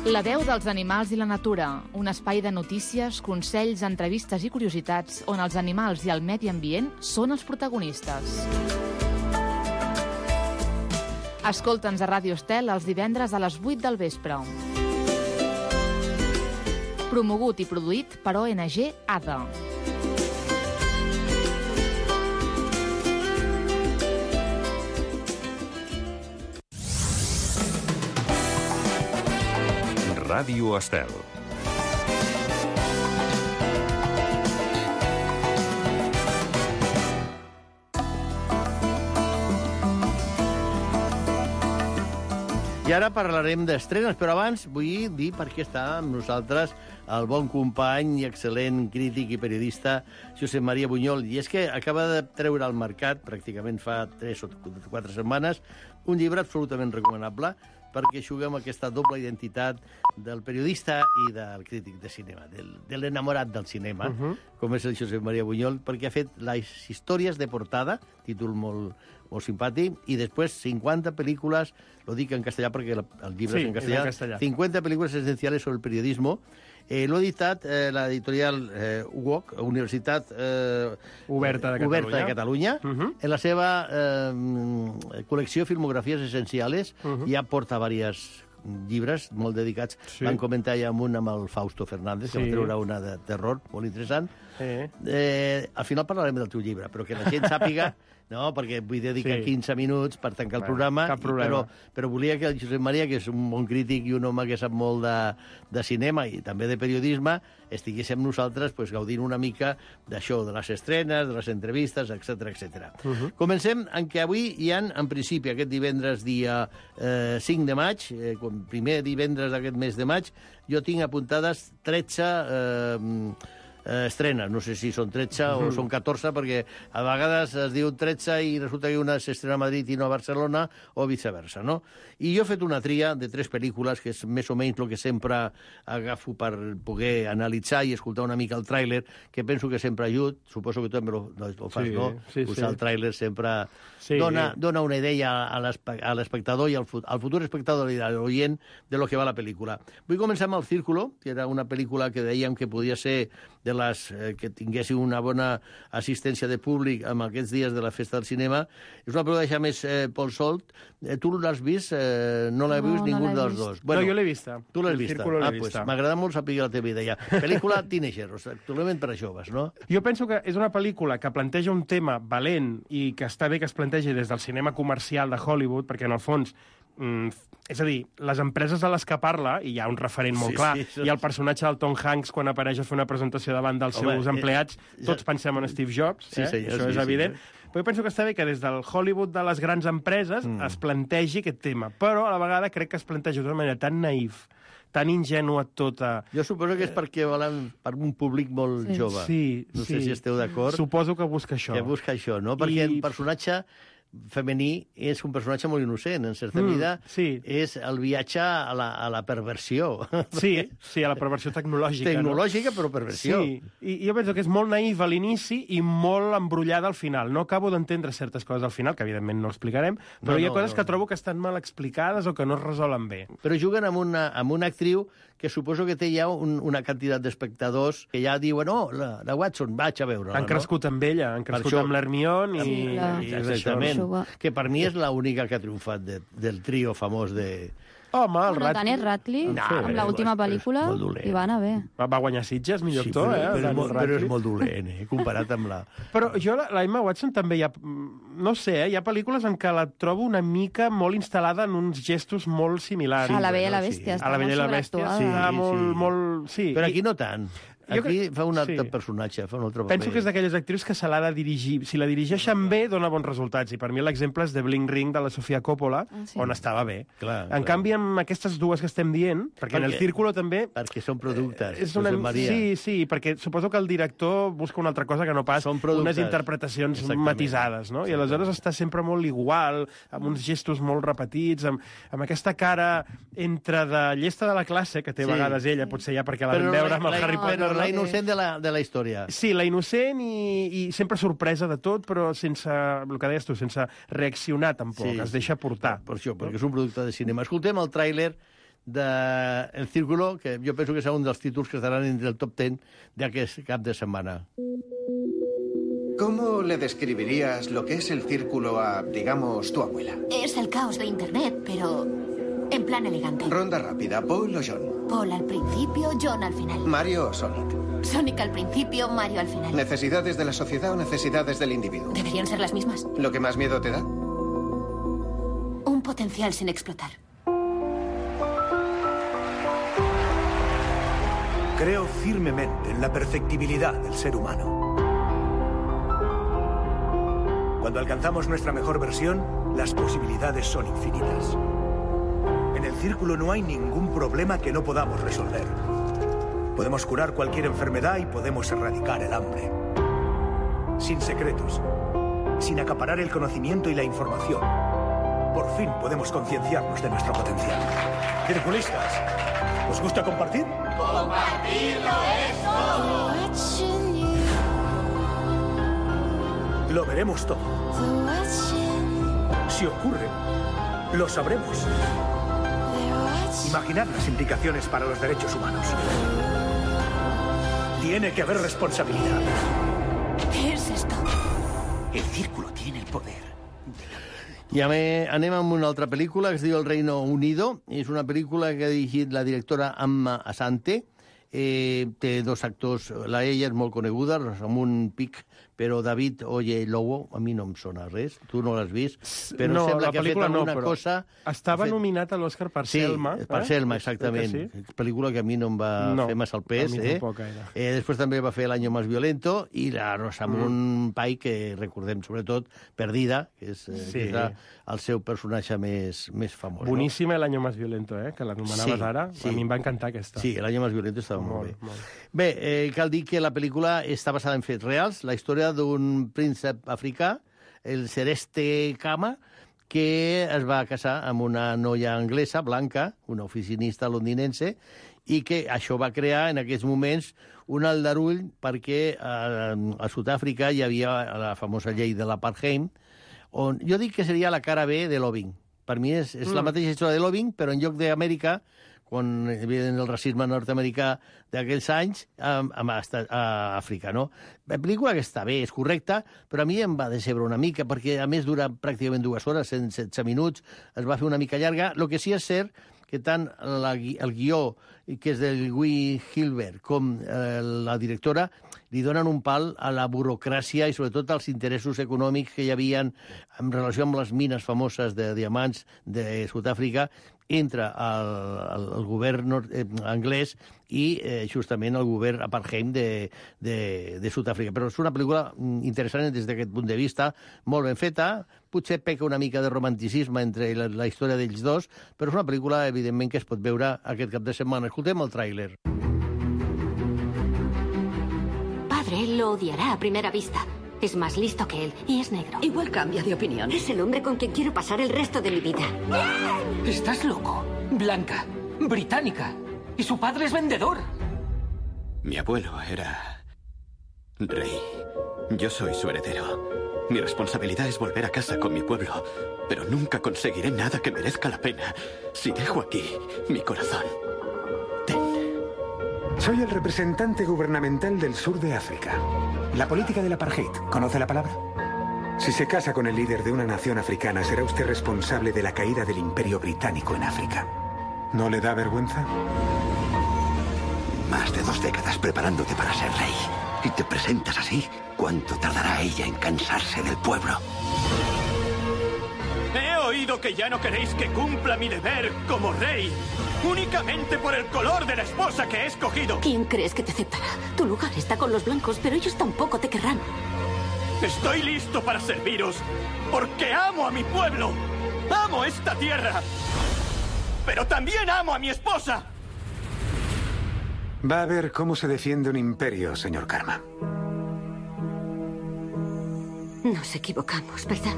La veu dels animals i la natura, un espai de notícies, consells, entrevistes i curiositats on els animals i el medi ambient són els protagonistes. Escolta'ns a Ràdio Estel els divendres a les 8 del vespre. Promogut i produït per ONG ADA. Ràdio Estel. I ara parlarem d'estrenes, però abans vull dir per què està amb nosaltres el bon company i excel·lent crític i periodista Josep Maria Buñol. I és que acaba de treure al mercat, pràcticament fa 3 o 4 setmanes, un llibre absolutament recomanable perquè juga amb aquesta doble identitat del periodista i del crític de cinema, de l'enamorat del cinema, com és el Josep Maria Buñol, perquè ha fet les històries de portada, títol molt simpàtic, i després 50 pel·lícules, lo dic en castellà perquè el llibre és en castellà, 50 pel·lícules essenciales sobre el periodismo. L'ha editat l'editorial UOC, Universitat Oberta de Catalunya, en la seva col·lecció Filmografies Essenciales, ja porta diversos llibres molt dedicats. Van comentar ja amb el Fausto Fernández, que va treure una de terror molt interessant. Al final parlarem del teu llibre, però que la gent sàpiga. No, perquè vull dedicar 15 minuts per tancar el programa, però volia que el Josep Maria, que és un bon crític i un home que sap molt de cinema i també de periodisme, estigués amb nosaltres gaudint una mica d'això, de les estrenes, de les entrevistes, etc. Comencem en què avui hi ha, en principi, aquest divendres dia 5 de maig, primer divendres d'aquest mes de maig, jo tinc apuntades 13 estrenes, no sé si són 13 o són 14, perquè a vegades es diu 13 i resulta que una s'estrena a Madrid i no a Barcelona, o viceversa, no? I jo he fet una tria de 3 pel·lícules, que és més o menys el que sempre agafo per poder analitzar i escoltar una mica el tràiler, que penso que sempre ajuda, suposo que tu també ho fas, no? Usar el tràiler sempre dona una idea a l'espectador i al futur espectador i a l'oient de lo que va la pel·lícula. Vull començar amb El Círculo, que era una pel·lícula que dèiem que podia ser de les que tinguessin una bona assistència de públic amb aquests dies de la Festa del Cinema. És una pel·lícula que deixa més Pol Solt. Tu l'has vist? No l'he vist ningú dels dos. No, jo l'he vista. Tu l'has vista? Doncs m'agrada molt saber la teva idea. Pel·lícula teenager, actualment per a joves, no? Jo penso que és una pel·lícula que planteja un tema valent i que està bé que es plantegi des del cinema comercial de Hollywood, perquè en el fons és a dir, les empreses a les que parla, i hi ha un referent molt clar, i el personatge del Tom Hanks, quan apareix a fer una presentació davant dels seus empleats, tots pensem en Steve Jobs, això és evident. Però jo penso que està bé que des del Hollywood de les grans empreses es plantegi aquest tema, però a la vegada crec que es planteja d'una manera tan naïf, tan ingènua tota... Jo suposo que és perquè volen per un públic molt jove. No sé si esteu d'acord. Suposo que busca això. Que busca això, no? Perquè el personatge femení és un personatge molt innocent, en certa mida. És el viatge a la perversió. Sí, a la perversió tecnològica. Tecnològica, però perversió. Sí, i jo penso que és molt naïf a l'inici i molt embrullada al final. No acabo d'entendre certes coses al final, que evidentment no explicarem, però hi ha coses que trobo que estan mal explicades o que no es resolen bé. Però juguen amb una actriu que suposo que té ja una quantitat d'espectadors que ja diuen, la Watson, vaig a veure-la. Han crescut amb ella, han crescut amb l'Hermione i... Exactament. Que per mi és l'única que ha triomfat del trio famós de... Home, el Radcliffe... Daniel Radcliffe, amb l'última pel·lícula, hi va anar bé. Va guanyar Sitges, millor actor, però és molt dolent, comparat amb la... Però jo, la Emma Watson també hi ha... No sé, hi ha pel·lícules en què la trobo una mica molt instal·lada en uns gestos molt similars. A La Bella i la Bèstia, està molt sobreactuada. Sí, molt... Però aquí no tant. Aquí fa un altre personatge, fa un altre paper. Penso que és d'aquelles actrius que se l'ha de dirigir. Si la dirigeixen bé, dona bons resultats. I per mi l'exemple és de Bling Ring, de la Sofia Coppola, on estava bé. En canvi, amb aquestes dues que estem dient, perquè en El Círculo també... Perquè són productes, Josep Maria. Sí, perquè suposo que el director busca una altra cosa que no pas unes interpretacions matisades, no? I aleshores està sempre molt igual, amb uns gestos molt repetits, amb aquesta cara entre de llesta de la classe, que té a vegades ella, potser ja perquè la vam veure amb el Harry Potter. La innocent de la història. Sí, la innocent i sempre sorpresa de tot, però sense, el que deies tu, sense reaccionar tampoc, es deixa portar. Per això, perquè és un producte de cinema. Escoltem el tràiler de El Círculo, que jo penso que serà un dels títols que estaran entre el top 10 d'aquest cap de setmana. ¿Cómo le describirías lo que es El Círculo a, digamos, tu abuela? Es el caos de Internet, pero en plan elegante. Ronda rápida, ¿Paul o John? Paul al principio, John al final. ¿Mario o Sonic? Sonic al principio, Mario al final. ¿Necesidades de la sociedad o necesidades del individuo? Deberían ser las mismas. ¿Lo que más miedo te da? Un potencial sin explotar. Creo firmemente en la perfectibilidad del ser humano. Cuando alcanzamos nuestra mejor versión, las posibilidades son infinitas. En el círculo no hay ningún problema que no podamos resolver. Podemos curar cualquier enfermedad y podemos erradicar el hambre. Sin secretos, sin acaparar el conocimiento y la información. Por fin podemos concienciarnos de nuestro potencial. Circulistas, ¿os gusta compartir? ¡Compartirlo es todo! Lo veremos todo. Si ocurre, lo sabremos. Imaginad las implicaciones para los derechos humanos. Tiene que haber responsabilidad. ¿Qué es esto? El círculo tiene el poder. I anem amb una altra pel·lícula que es diu El Reino Unido. És una pel·lícula que ha dirigit la directora Amma Asante. Té dos actors, ella és molt coneguda, Rosamund Pike, però David Oyelowo, a mi no em sona res. Tu no l'has vist, però no, sembla que ha fet alguna cosa... Estava nominat a l'Oscar per Selma. Sí, per Selma, exactament. Sí? Pel·lícula que a mi no em va fer massa el pes. A mi tampoc gaire. Després també va fer L'Año Más Violento i la Rosamund Pike, que recordem sobretot Perdida, que és el seu personatge més famós. Boníssima L'Año Más Violento, que l'anomenaves ara. A mi em va encantar aquesta. Sí, L'Año Más Violento estava molt bé. Bé, cal dir que la pel·lícula està basada en fets reals, la història d'un príncep africà, el Celeste Khama, que es va casar amb una noia anglesa, blanca, una oficinista londinense, i que això va crear en aquests moments un aldarull perquè a Sud-àfrica hi havia la famosa llei de l'apartheid, on jo dic que seria la cara B de Loving. Per mi és la mateixa història de Loving, però en lloc d'Amèrica, quan hi havia el racisme nord-americà d'aquells anys, a Àfrica, no? La pel·lícula que està bé, és correcta, però a mi em va decebre una mica, perquè a més dura pràcticament 2 hores, 116 minuts, es va fer una mica llarga. El que sí és cert que tant el guió, que és del Guy Hilbert, com la directora, li donen un pal a la burocràcia i sobretot als interessos econòmics que hi havia en relació amb les mines famoses de diamants de Sud-àfrica entre el govern anglès i justament el govern apartheid de Sud-àfrica. Però és una pel·lícula interessant des d'aquest punt de vista, molt ben feta, potser peca una mica de romanticisme entre la història d'ells dos, però és una pel·lícula, evidentment, que es pot veure aquest cap de setmana. Escoltem el tràiler. Padre lo odiará a primera vista. Es más listo que él y es negro. Igual cambia de opinión. Es el hombre con quien quiero pasar el resto de mi vida. ¿Estás loco? Blanca, británica. Y su padre es vendedor. Mi abuelo era rey. Yo soy su heredero. Mi responsabilidad es volver a casa con mi pueblo, pero nunca conseguiré nada que merezca la pena si dejo aquí mi corazón. Soy el representante gubernamental del sur de África. La política del apartheid, ¿conoce la palabra? Si se casa con el líder de una nación africana, será usted responsable de la caída del imperio británico en África. ¿No le da vergüenza? Más de 2 décadas preparándote para ser rey. Y te presentas así, ¿cuánto tardará ella en cansarse del pueblo? He oído que ya no queréis que cumpla mi deber como rey, únicamente por el color de la esposa que he escogido. ¿Quién crees que te aceptará? Tu lugar está con los blancos, pero ellos tampoco te querrán. Estoy listo para serviros, porque amo a mi pueblo, amo esta tierra, pero también amo a mi esposa. Va a ver cómo se defiende un imperio, señor Karma. Nos equivocamos, ¿verdad?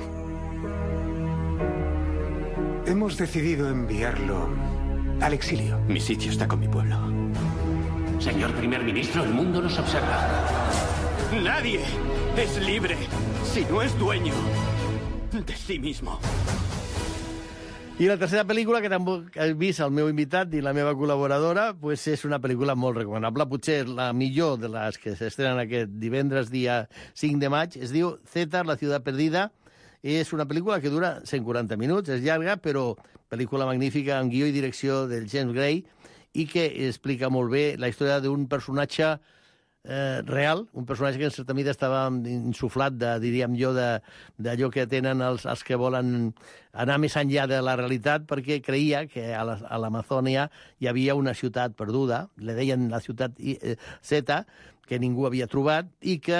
Hemos decidido enviarlo al exilio. Mi sitio está con mi pueblo. Señor primer ministro, el mundo nos observa. Nadie es libre si no es dueño de sí mismo. I la tercera pel·lícula, que tampoc he vist el meu invitat i la meva col·laboradora, pues és una pel·lícula molt recomanable, potser la millor de les que s'estrenen aquest divendres, dia 5 de maig. Es diu Zeta, la ciutat perdida. És una pel·lícula que dura 140 minuts, és llarga, però pel·lícula magnífica, amb guió i direcció del James Gray, i que explica molt bé la història d'un personatge real, un personatge que en certa mida estava insuflat, diríem jo, d'allò que tenen els que volen anar més enllà de la realitat, perquè creia que a l'Amazònia hi havia una ciutat perduda, le deien la ciutat Z, que ningú havia trobat, i que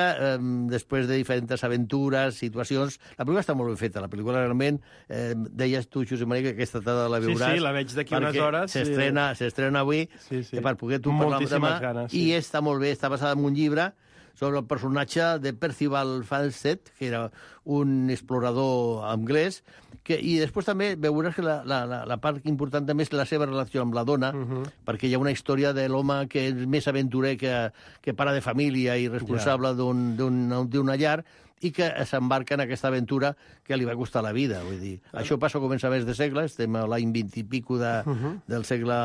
després de diferents aventures, situacions... La pel·lícula està molt ben feta. La pel·lícula realment, deies tu, Josep Maria, que aquesta tarda la veuràs. Sí, la veig d'aquí unes hores. S'estrena avui, per poder tu parlar demà. I està molt bé, està basada en un llibre sobre el personatge de Percival Falstead, que era un explorador anglès, i després també veuràs que la part important també és la seva relació amb la dona, perquè hi ha una història de l'home que és més aventurer que pare de família i responsable d'una llar, i que s'embarca en aquesta aventura que li va costar la vida. Vull dir, això passa a començaments de segle, estem a l'any 20 i pico del segle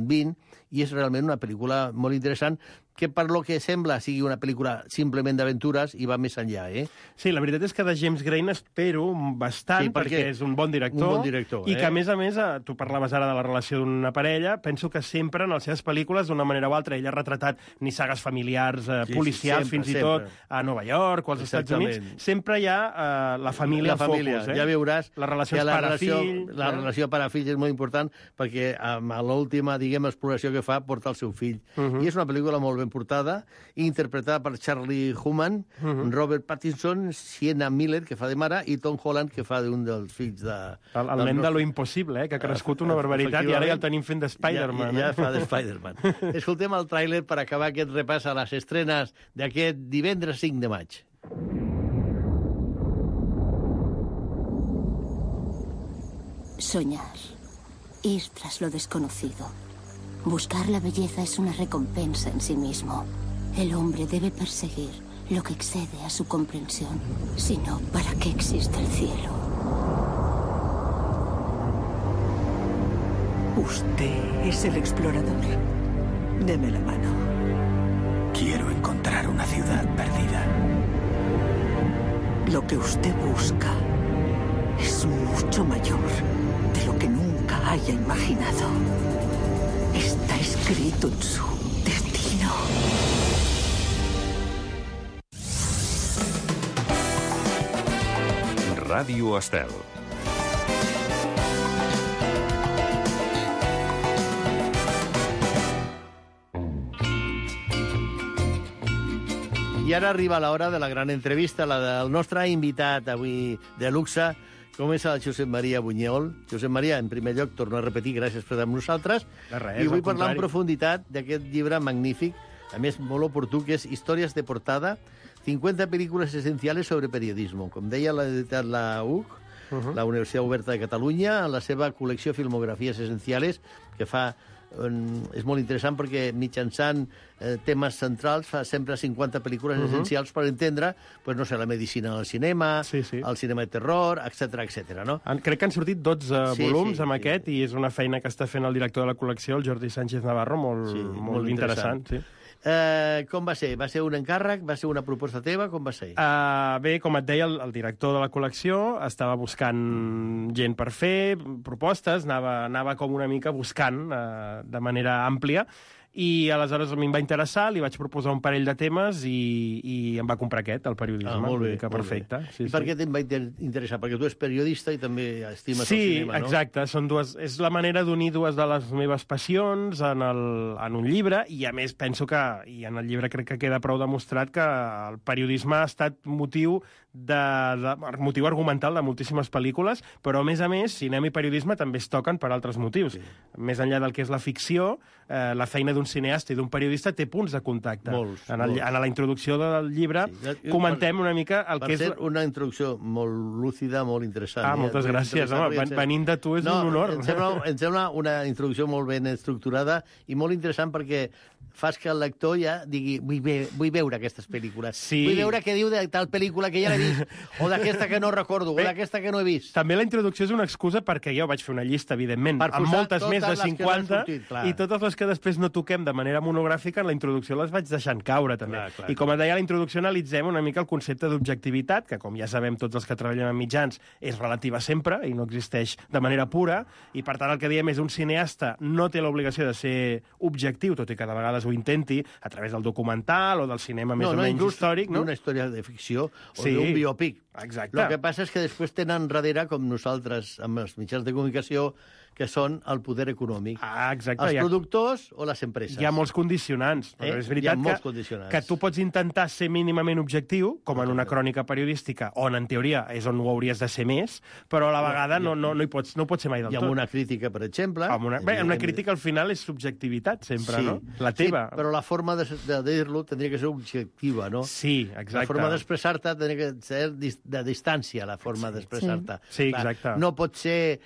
XX, i és realment una pel·lícula molt interessant que per lo que sembla sigui una pel·lícula simplement d'aventures i va més enllà, Sí, la veritat és que de James Gray n'espero bastant, perquè és un bon director, i que, a més, tu parlaves ara de la relació d'una parella, penso que sempre en les seves pel·lícules, d'una manera o altra, ell ha retratat nissagues familiars, policials, fins i tot a Nova York o als Estats Units, sempre hi ha la família al focus. Ja veuràs les relacions pare-fill. La relació pare-fill és molt important, perquè a l'última, diguem, exploració que fa porta el seu fill. I és una pel·lícula molt ben portada, interpretada per Charlie Hunnam, Robert Pattinson, Sienna Miller, que fa de mare, i Tom Holland, que fa d'un dels fills de... El nen de lo impossible, que ha crescut una barbaritat, i ara ja el tenim fent de Spider-Man. Ja fa de Spider-Man. Escoltem el tràiler per acabar aquest repàs a les estrenes d'aquest divendres 5 de maig. Soñar. Ir tras lo desconocido. Buscar la belleza es una recompensa en sí mismo. El hombre debe perseguir lo que excede a su comprensión. Si no, ¿para qué existe el cielo? Usted es el explorador. Deme la mano. Quiero encontrar una ciudad perdida. Lo que usted busca es mucho mayor de lo que nunca haya imaginado. Está escrito en su destino. Ràdio Estel. I ara arriba l'hora de la gran entrevista, la del nostre invitat avui de luxe. Comença el Josep Maria Buñol. Josep Maria, en primer lloc, torno a repetir, gràcies per estar amb nosaltres. I vull parlar en profunditat d'aquest llibre magnífic, a més molt oportú, que és Històries de portada, 50 pel·lícules essenciales sobre periodismo. Com deia l'editat la UC, la Universitat Oberta de Catalunya, en la seva col·lecció Filmografies Essenciales, que fa... és molt interessant perquè mitjançant temes centrals fa sempre 50 pel·lícules essencials per entendre, pues, no sé, la medicina del cinema, el cinema de terror, etc. No? Crec que han sortit 12 volums amb aquest, i és una feina que està fent el director de la col·lecció, el Jordi Sánchez Navarro, molt interessant. Com va ser? Va ser un encàrrec? Va ser una proposta teva? Com va ser? Bé, com et deia, el director de la col·lecció estava buscant gent per fer propostes, anava com una mica buscant de manera àmplia, i aleshores a mi em va interessar, li vaig proposar un parell de temes i em va comprar aquest, el periodisme. Molt bé. Perfecte. I per què te'n va interessar? Perquè tu ets periodista i també estimes el cinema, no? Sí, exacte. És la manera d'unir dues de les meves passions en un llibre, i a més penso que, i en el llibre crec que queda prou demostrat, que el periodisme ha estat motiu argumental de moltíssimes pel·lícules, però a més, cinema i periodisme també es toquen per altres motius. Més enllà del que és la ficció, la feina d'un cineasta i d'un periodista té punts de contacte. En la introducció del llibre comentem una mica el que és... Per ser una introducció molt lúcida, molt interessant. Moltes gràcies. Venint de tu és un honor. Em sembla una introducció molt ben estructurada i molt interessant perquè fas que el lector ja digui vull veure aquestes pel·lícules. Vull veure què diu de tal pel·lícula que ja l'he vist, o d'aquesta que no recordo, o d'aquesta que no he vist. També la introducció és una excusa perquè jo vaig fer una llista, evidentment, amb moltes més de 50, i totes les que després no toquem de manera monogràfica, en la introducció les vaig deixant caure, també. I com et deia, a la introducció analitzem una mica el concepte d'objectivitat, que com ja sabem tots els que treballem en mitjans, és relativa sempre i no existeix de manera pura, i per tant el que diem és un cineasta no té l'obligació de ser objectiu, tot i que de vegades ho intenti, a través del documental o del cinema més o menys històric. No, una història de ficció o d'un biòpic. Exacte. El que passa és que després tenen darrere, com nosaltres, amb els mitjans de comunicació, que són el poder econòmic. Exacte. Els productors o les empreses. Hi ha molts condicionants. Però és veritat que tu pots intentar ser mínimament objectiu, com en una crònica periodística, on en teoria és on ho hauries de ser més, però a la vegada no pots ser mai del tot. I amb una crítica, per exemple... Una crítica al final és subjectivitat, sempre, no? La teva. Sí, però la forma de dir-lo tindria que ser objectiva, no? Sí, exacte. La forma d'expressar-te tindria que ser de distància, la forma d'expressar-te. Sí, exacte. No pot ser...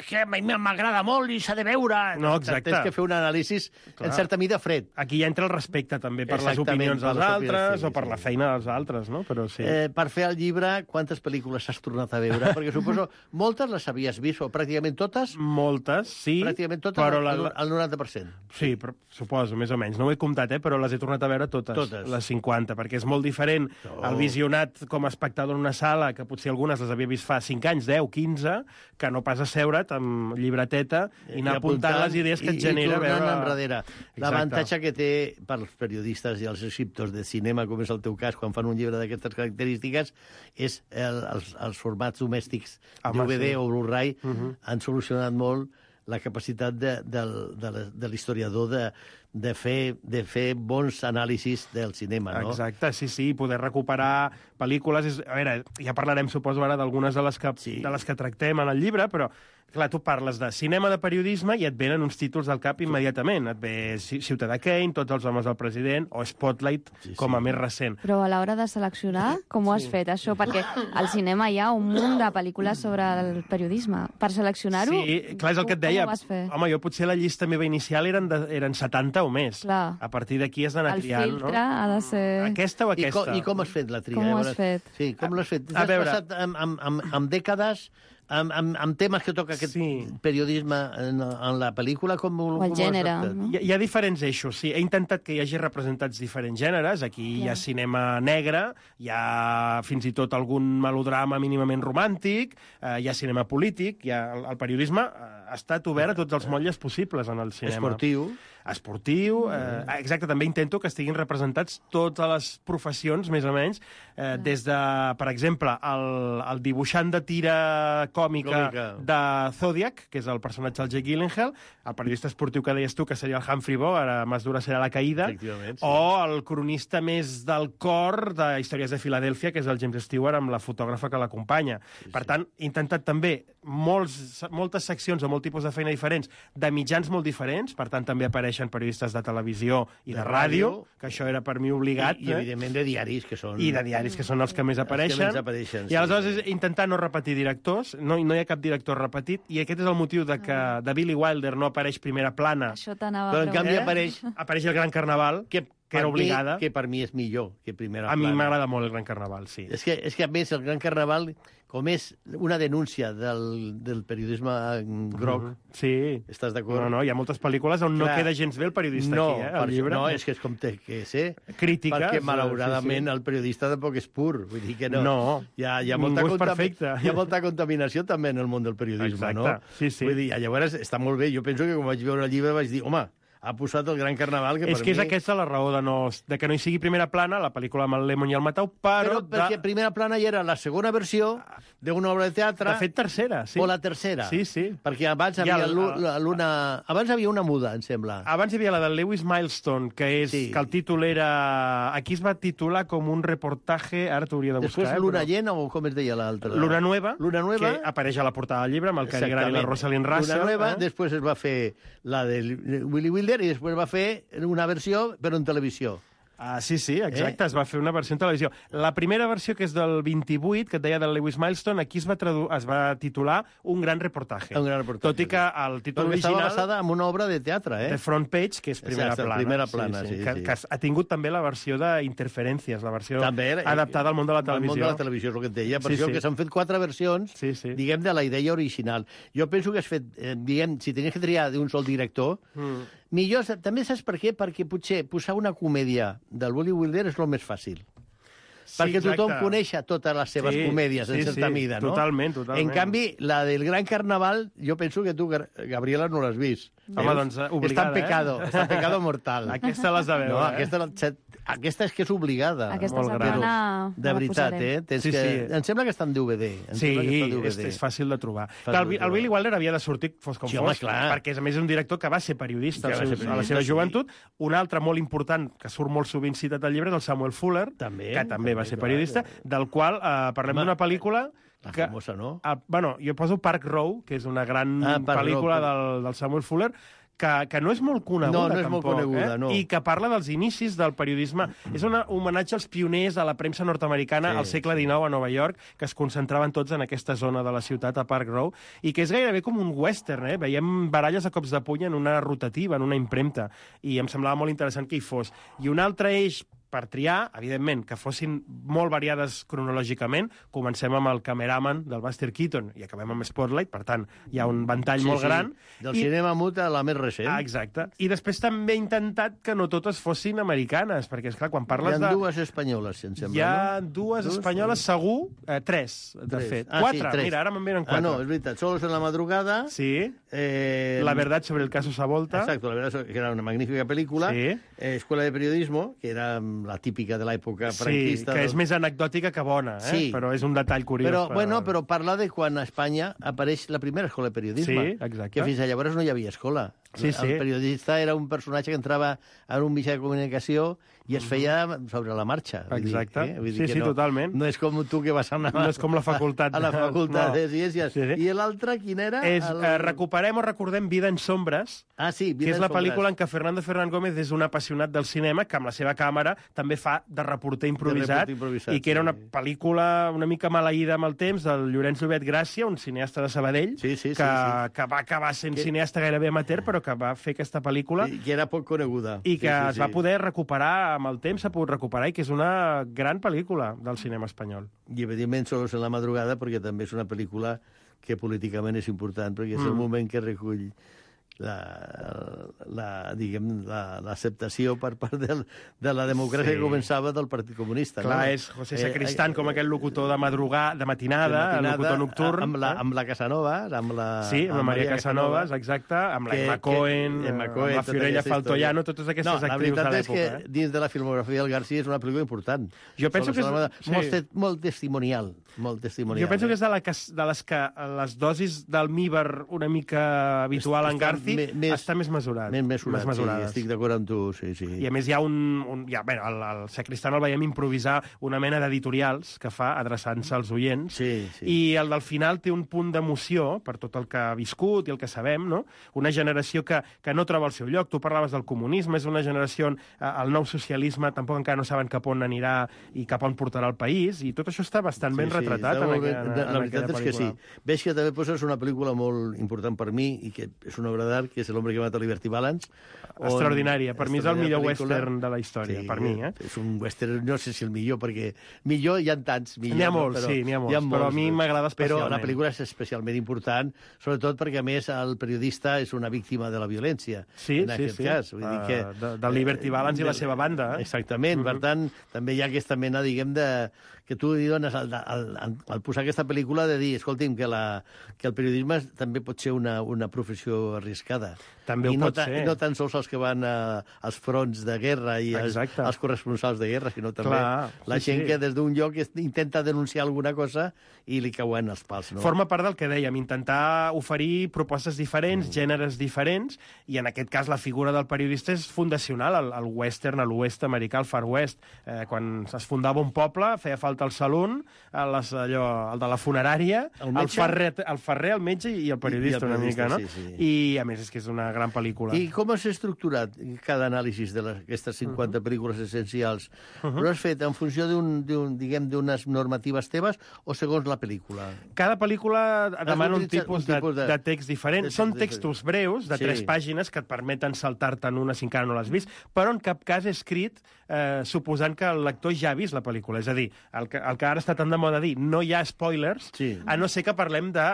que a mi m'agrada molt i s'ha de veure. No, exacte. Tens que fer un anàlisi en certa mida fred. Aquí ja entra el respecte també per les opinions dels altres o per la feina dels altres, no? Però sí. Per fer el llibre, quantes pel·lícules has tornat a veure? Perquè suposo moltes les havies vist, o pràcticament totes? Moltes, sí. Pràcticament totes, el 90%. Sí, però, suposo, més o menys. No ho he comptat, però les he tornat a veure totes. Les 50, perquè és molt diferent el visionat com a espectador en una sala, que potser algunes les havia vist fa 5 anys, 10, 15, que no pas asseure't amb llibreteta i anar apuntant les idees que et genera veure... enrere. L'avantatge que té pels periodistes i els escriptors de cinema, com és el teu cas, quan fan un llibre d'aquestes característiques, és els formats domèstics DVD o Blu-ray han solucionat molt la capacitat de l'historiador de fer bons anàlisis del cinema, no? Exacte, sí, poder recuperar pel·lícules. A veure, ja parlarem, suposo, ara d'algunes de les que tractem en el llibre, però, clar, tu parles de cinema de periodisme i et venen uns títols del cap immediatament. Et ve Ciutadà Kane, Tots els homes del president, o Spotlight, com a més recent. Però a l'hora de seleccionar, com ho has fet, això? Perquè al cinema hi ha un munt de pel·lícules sobre el periodisme. Per seleccionar-ho, sí, clar, és el que et deia. Com ho vas fer? Home, jo potser la llista meva inicial eren 70 o més. Clar. A partir d'aquí has d'anar triant, no? El filtre ha de ser... Aquesta o aquesta? I com has fet la tria? Com ho has fet? Sí, com l'has fet? T'has passat amb dècades, amb temes que toca aquest periodisme en la pel·lícula, com el gènere. No? Hi ha diferents eixos, sí. He intentat que hi hagi representats diferents gèneres. Aquí hi ha cinema negre, hi ha fins i tot algun melodrama mínimament romàntic, hi ha cinema polític, el periodisme ha estat obert a tots els motlles possibles en el cinema. Esportiu, exacte, també intento que estiguin representats totes les professions, més o menys, des de, per exemple, el dibuixant de tira còmica de Zodiac, que és el personatge del Jake Gyllenhaal, el periodista esportiu que deies tu, que seria el Humphrey Bogart, ara Más dura serà la caïda, o el cronista més del cor de Històries de Filadèlfia, que és el James Stewart, amb la fotògrafa que l'acompanya. Per tant, he intentat també moltes seccions o molt tipus de feina diferents, de mitjans molt diferents, per tant, també apareixen periodistes de televisió i de ràdio, que això era per mi obligat. I evidentment, de diaris, que són... I de diaris, que són els que més apareixen. I aleshores és intentar no repetir directors, no hi ha cap director repetit, i aquest és el motiu de que de Billy Wilder no apareix primera plana. Però en canvi apareix el Gran Carnaval, que era obligada. Que per mi és millor que primera plana. A mi m'agrada molt el Gran Carnaval, sí. És que a més, el Gran Carnaval, com és una denúncia del periodisme groc, estàs d'acord? No, hi ha moltes pel·lícules on no queda gens bé el periodista aquí, al llibre. No, és que és com té que ser. Crítica. Perquè, malauradament, el periodista tampoc és pur. Vull dir que no. Hi ha molta contaminació també en el món del periodisme, no? Vull dir, llavors està molt bé. Jo penso que quan vaig veure el llibre vaig dir, home, ha posat el Gran Carnaval, que per mi... És que és aquesta la raó de que no hi sigui primera plana, la pel·lícula amb el Lemon i el Matau, però perquè primera plana ja era la segona versió d'una obra de teatre... De fet, tercera, sí. O la tercera. Sí. Perquè abans abans havia una muda, em sembla. Abans hi havia la de Lewis Milestone, que el títol era... Aquí es va titular com un reportatge... Ara t'hauria de buscar. Després Luna Llena, o com es deia l'altra? Luna Nueva, que apareix a la portada del llibre, amb el Cary Grant i la Rosalind Russell. Luna Nueva, després es va fer la de Willy Wilder, i després va fer una versió, però en televisió. Sí, exacte, es va fer una versió en televisió. La primera versió, que és del 28, que et deia del Lewis Milestone, aquí es va titular Un gran reportaje. Tot i que el títol original... Estava basada en una obra de teatre, The Front Page, que és primera plana. Que ha tingut també la versió d'Interferències, la versió adaptada al món de la televisió. Al món de la televisió, és el que et deia. Per això que s'han fet 4 versions, diguem, de la idea original. Jo penso que has fet, diguem, si tenies que triar d'un sol director, millor, també saps per què? Perquè potser posar una comèdia del Billy Wilder és el més fàcil. Perquè tothom coneix totes les seves comèdies, en certa mida, no? Totalment. En canvi, la del Gran Carnaval, jo penso que tu, Gabriela, no l'has vist. Home, doncs, obligada, Està en pecado mortal. Aquesta l'has de veure. No, aquesta és que és obligada. Aquesta setmana de veritat, Em sembla que està en DVD. Sí, és fàcil de trobar. El Billy Wilder havia de sortir, fos com fos, perquè a més és un director que va ser periodista a la seva joventut. Un altre molt important, que surt molt sovint citat al llibre, és el Samuel Fuller, que també va ser periodista, del qual parlem d'una pel·lícula... La famosa, no? Bueno, jo poso Park Row, que és una gran pel·lícula del Samuel Fuller, que no és molt coneguda, tampoc, i que parla dels inicis del periodisme. És un homenatge als pioners a la premsa nord-americana al segle XIX a Nova York, que es concentraven tots en aquesta zona de la ciutat, a Park Row, i que és gairebé com un western, Veiem baralles a cops de puny en una rotativa, en una impremta, i em semblava molt interessant que hi fos. I un altre eix per triar, evidentment, que fossin molt variades cronològicament. Comencem amb el Cameraman del Buster Keaton i acabem amb Spotlight, per tant, hi ha un ventall molt gran. Del cinema mut a la més recent. Exacte. I després també he intentat que no totes fossin americanes, perquè, esclar, quan parles de... Hi ha dues espanyoles, si em sembla, Hi ha dues espanyoles, segur, 3, de fet. 4, mira, ara me'n venen 4. No, és veritat, Solos en la madrugada. Sí. La verdad sobre el caso Savolta. Exacto, la verdad, que era una magnífica película. Escuela de periodismo, que era la típica de l'època franquista. Sí, que és més anecdòtica que bona, però és un detall curiós. Però parla de quan a Espanya apareix la primera escola de periodisme. Sí, exacte. Que fins llavors no hi havia escola. El periodista era un personatge que entrava en un mitjà de comunicació i es feia sobre la marxa. Exacte. Sí, totalment. No és com tu que vas anar... No és com la facultat. A la facultat de Ciències. I l'altre, quin era? Recuperem o recordem Vida en sombres, que és la pel·lícula en què Fernando Fernández Gómez és un apassionat del cinema, que amb la seva càmera també fa de reporter improvisat, i que era una pel·lícula una mica maleïda amb el temps, del Llorenç Llobet Gràcia, un cineasta de Sabadell, que va acabar sent cineasta gairebé amateur, però que va fer aquesta pel·lícula. I que era poc coneguda. I que es va poder recuperar, amb el temps s'ha pogut recuperar, i que és una gran pel·lícula del cinema espanyol. I, evidentment, Solos en la madrugada, perquè també és una pel·lícula que políticament és important, perquè és el moment que recull l'acceptació per part de la democràcia que començava del Partit Comunista. Clar, és José Sacristán com aquell locutor de matinada, el locutor nocturn. Amb la Casanovas, amb la... Sí, amb la Maria Casanovas, exacte, amb la Emma Cohen, amb la Fiorella Faltoiano, totes aquestes actrius de l'època. La veritat és que dins de la filmografia del García és una pel·lícula important. Jo penso que és... Molt testimonial. Jo penso que és de les que les dosis d'almíbar una mica habitual en García està més mesurat. Més mesurat, sí, estic d'acord amb tu, sí. I a més hi ha el Sacristán el veiem improvisar una mena d'editorials que fa adreçant-se als oients, i el del final té un punt d'emoció per tot el que ha viscut i el que sabem, no? Una generació que no troba el seu lloc. Tu parlaves del comunisme, és una generació on el nou socialisme tampoc encara no saben cap on anirà i cap on portarà el país, i tot això està bastant ben retratat en aquella pel·lícula. La veritat és que sí. Veig que també poses una pel·lícula molt important per mi i que és una obra d'art, que és El hombre que mata a Liberty Balance. Extraordinària. Per mi és el millor western de la història, per mi. És un western, no sé si el millor, perquè millor hi ha tants. N'hi ha molts, però a mi m'agrada especialment. Però la pel·lícula és especialment important, sobretot perquè, a més, el periodista és una víctima de la violència. En aquest cas. Del Liberty Balance i la seva banda. Exactament. Per tant, també hi ha aquesta mena, diguem, que tu li dones al posar aquesta pel·lícula de dir, escolti'm, que el periodisme també pot ser una professió arriscada. També ho pot ser. I no tan sols els que van als fronts de guerra i els corresponsals de guerra, sinó també la gent que des d'un lloc intenta denunciar alguna cosa i li cauen els pals. Forma part del que dèiem, intentar oferir propostes diferents, gèneres diferents, i en aquest cas la figura del periodista és fundacional al western, a l'oest americà, al Far West. Quan es fundava un poble, feia falta el saloon, el de la funerària, el ferrer, el metge i el periodista una mica, no? I, a més, és que és una gran pel·lícula. I com has estructurat cada anàlisi d'aquestes 50 pel·lícules essencials? Ho has fet en funció d'unes normatives teves o segons la pel·lícula? Cada pel·lícula demana un tipus de text diferent. Són textos breus, de 3 pàgines, que et permeten saltar-te'n una si encara no l'has vist, però en cap cas escrit suposant que el lector ja ha vist la pel·lícula. És a dir, el que ara està tan de moda dir, no hi ha spoilers, a no ser que parlem de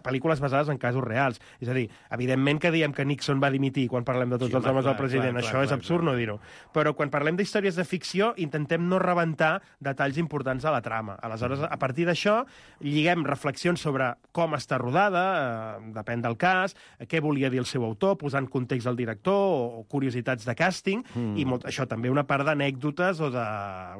pel·lícules basades en casos reals. És a dir, evidentment que diem que Nixon va dimitir quan parlem de tots els homes del president. Això és absurd no dir-ho. Però quan parlem d'històries de ficció, intentem no rebentar detalls importants de la trama. Aleshores, a partir d'això, lliguem reflexions sobre com està rodada, depèn del cas, què volia dir el seu autor, posant context al director o curiositats de càsting, i això també una part d'anècdotes o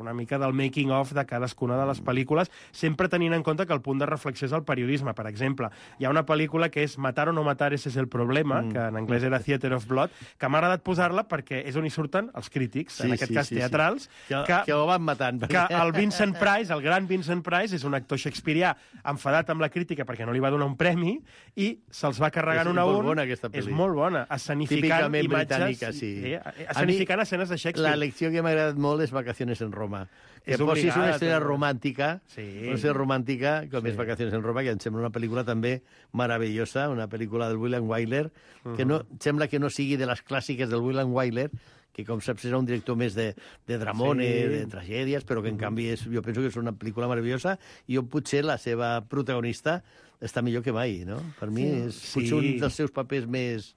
una mica del making-of de cadascuna de les pel·lícules, sempre tenint en compte que el punt de reflexió és el periodisme. Per exemple, hi ha una pel·lícula que és Matar o no matar, ese es el problema, que en anglès era Theater of Blood, que m'ha agradat posar-la perquè és on hi surten els crítics, en aquest cas teatrals, que ho van matant. Que el Vincent Price, el gran Vincent Price, és un actor shakespearià enfadat amb la crítica perquè no li va donar un premi i se'ls va carregant un a un. És molt bona, escenificant imatges, escenificant escenes de Shakespeare. La lecció que m'ha agradat molt és Vacaciones en Roma. Que posis una estrella romàntica, una estrella romàntica, com és Vacaciones en Roma, que em sembla una pel·lícula també meravellosa, una pel·lícula del William Wyler, que sembla que no sigui de les clàssiques del William Wyler, que com saps era un director més de dramone, de tragèdies, però que en canvi jo penso que és una pel·lícula meravellosa i potser la seva protagonista està millor que mai, no? Per mi és potser un dels seus papers més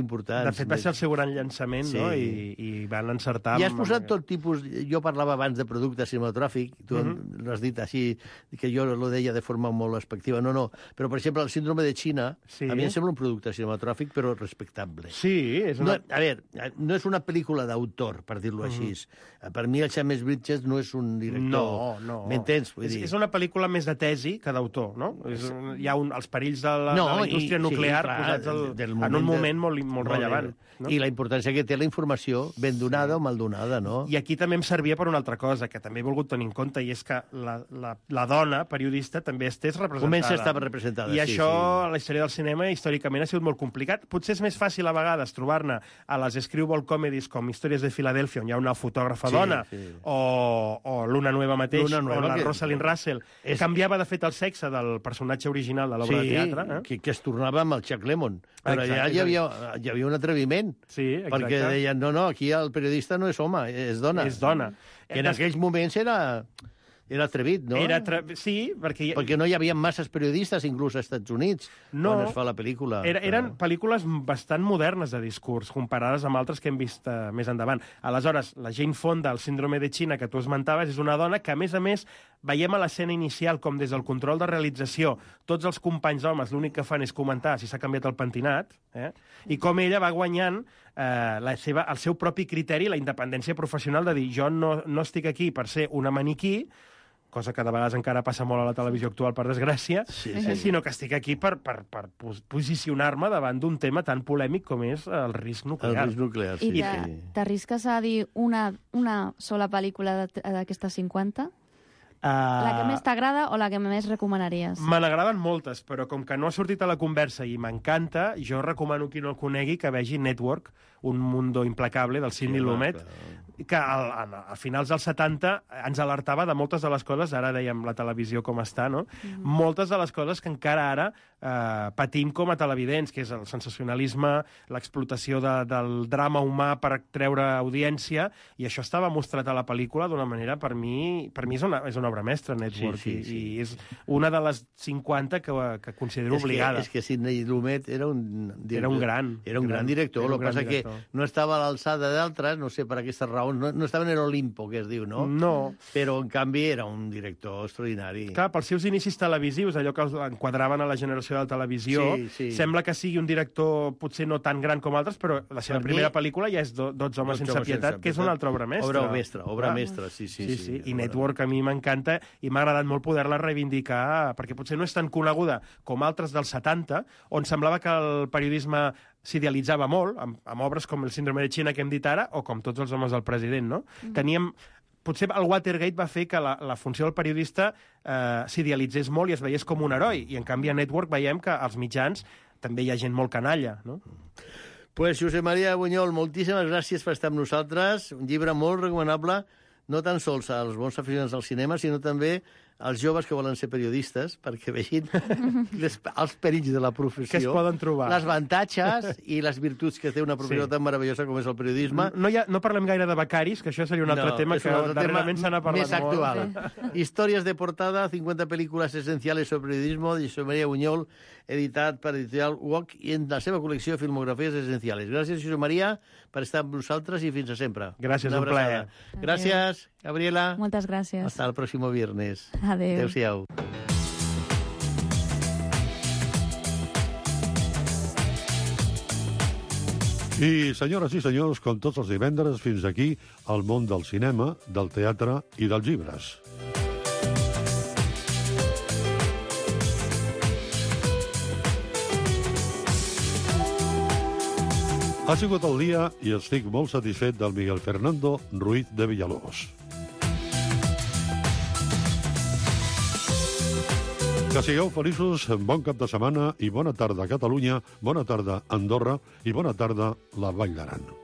importants. De fet, va ser el seu gran llançament, no? I van encertar... I has posat tot tipus... Jo parlava abans de producte cinematogràfic, tu l'has dit així, que jo lo deia de forma molt expectiva. No. Però, per exemple, el síndrome de China, a mi em sembla un producte cinematogràfic, però respectable. Sí, és una... A veure, no és una pel·lícula d'autor, per dir-lo així. Per mi, el James Bridges no és un director... No. M'entens? És una pel·lícula més de tesi que d'autor, no? Hi ha els perills de la indústria nuclear posats en un moment molt rellevant. I la importància que té la informació ben donada o mal donada, no? I aquí també em servia per una altra cosa, que també he volgut tenir en compte, i és que la dona periodista també estés representada. Comença a estar representada, I això, a la història del cinema, històricament ha sigut molt complicat. Potser és més fàcil a vegades trobar-ne a les screwball comedies com Històries de Filadèlfia, on hi ha una fotògrafa dona, o Luna Nueva mateix, on la Rosalind Russell canviava, de fet, el sexe del personatge original de l'obra de teatre. Que es tornava amb el Chuck Lemmon. Però allà hi havia un atreviment. Perquè deien, no, aquí el periodista no és home, és dona. És dona. Que en aquells moments era atrevit, no? Sí, perquè no hi havia masses periodistes, inclús als Estats Units, quan es fa la pel·lícula. Eren pel·lícules bastant modernes de discurs, comparades amb altres que hem vist més endavant. Aleshores, la Jane Fonda, el síndrome de China, que tu esmentaves, és una dona que, a més, veiem a l'escena inicial com des del control de realització tots els companys homes l'únic que fan és comentar si s'ha canviat el pentinat, i com ella va guanyant el seu propi criteri, la independència professional de dir jo no estic aquí per ser una maniquí, cosa que de vegades encara passa molt a la televisió actual, per desgràcia, sinó que estic aquí per posicionar-me davant d'un tema tan polèmic com és el risc nuclear. El risc nuclear, sí. I t'arrisques a dir una sola pel·lícula d'aquestes 50? La que més t'agrada o la que més recomanaries? Me n'agraden moltes, però com que no ha sortit a la conversa i m'encanta, jo recomano qui no el conegui que vegi Network, un mundo implacable, del Sidney Lumet, que a finals dels 70 ens alertava de moltes de les coses, ara dèiem la televisió com està, no? Moltes de les coses que encara ara patim com a televidents, que és el sensacionalisme, l'explotació del drama humà per treure audiència, i això estava mostrat a la pel·lícula d'una manera, per mi és una obra mestra, Network, i és una de les 50 que considero obligada. És que Sidney Lumet era un gran director, el que passa que no estava a l'alçada d'altres, no sé per aquestes raons, no estava en l'Olimpo, que es diu, no? No. Però, en canvi, era un director extraordinari. Clar, pels seus inicis televisius, allò que enquadraven a la generació de la televisió, sembla que sigui un director potser no tan gran com altres, però la seva primera pel·lícula ja és 12 homes sense pietat, que és una altra obra mestra. Obra mestra, sí. I Network a mi m'encanta i m'ha agradat molt poder-la reivindicar, perquè potser no és tan coneguda com altres dels 70, on semblava que el periodisme s'idealitzava molt, amb obres com El síndrome de China que hem dit ara, o com Tots els homes del president, no? Teníem potser el Watergate va fer que la funció del periodista s'idealitzés molt i es veiés com un heroi, i en canvi a Network veiem que als mitjans també hi ha gent molt canalla, no? Pues Josep Maria Buñol, moltíssimes gràcies per estar amb nosaltres. Un llibre molt recomanable, no tan sols als bons aficionats al cinema, sinó també als joves que volen ser periodistes, perquè vegin els perills de la professió. Que es poden trobar. Les avantatges i les virtuts que té una professió tan meravellosa com és el periodisme. No parlem gaire de becaris, que això seria un altre tema que darrerament se n'ha parlat més actual. Històries de portada, 50 pel·lícules essenciales sobre periodismo, de Josep Maria Buñol, editat per Editorial UOC, i en la seva col·lecció Filmografies Essenciales. Gràcies, Josep Maria, per estar amb nosaltres i fins a sempre. Gràcies, un plaer. Gràcies, Gabriela. Moltes gràcies. Hasta el próximo viernes. Adéu. Adéu-siau. I, senyores i senyors, com tots els divendres, fins aquí el món del cinema, del teatre i dels llibres. Ha sigut el dia i estic molt satisfet del Miguel Fernando Ruiz de Villalobos. Que sigueu feliços, bon cap de setmana i bona tarda a Catalunya, bona tarda a Andorra i bona tarda a la Vall d'Aran.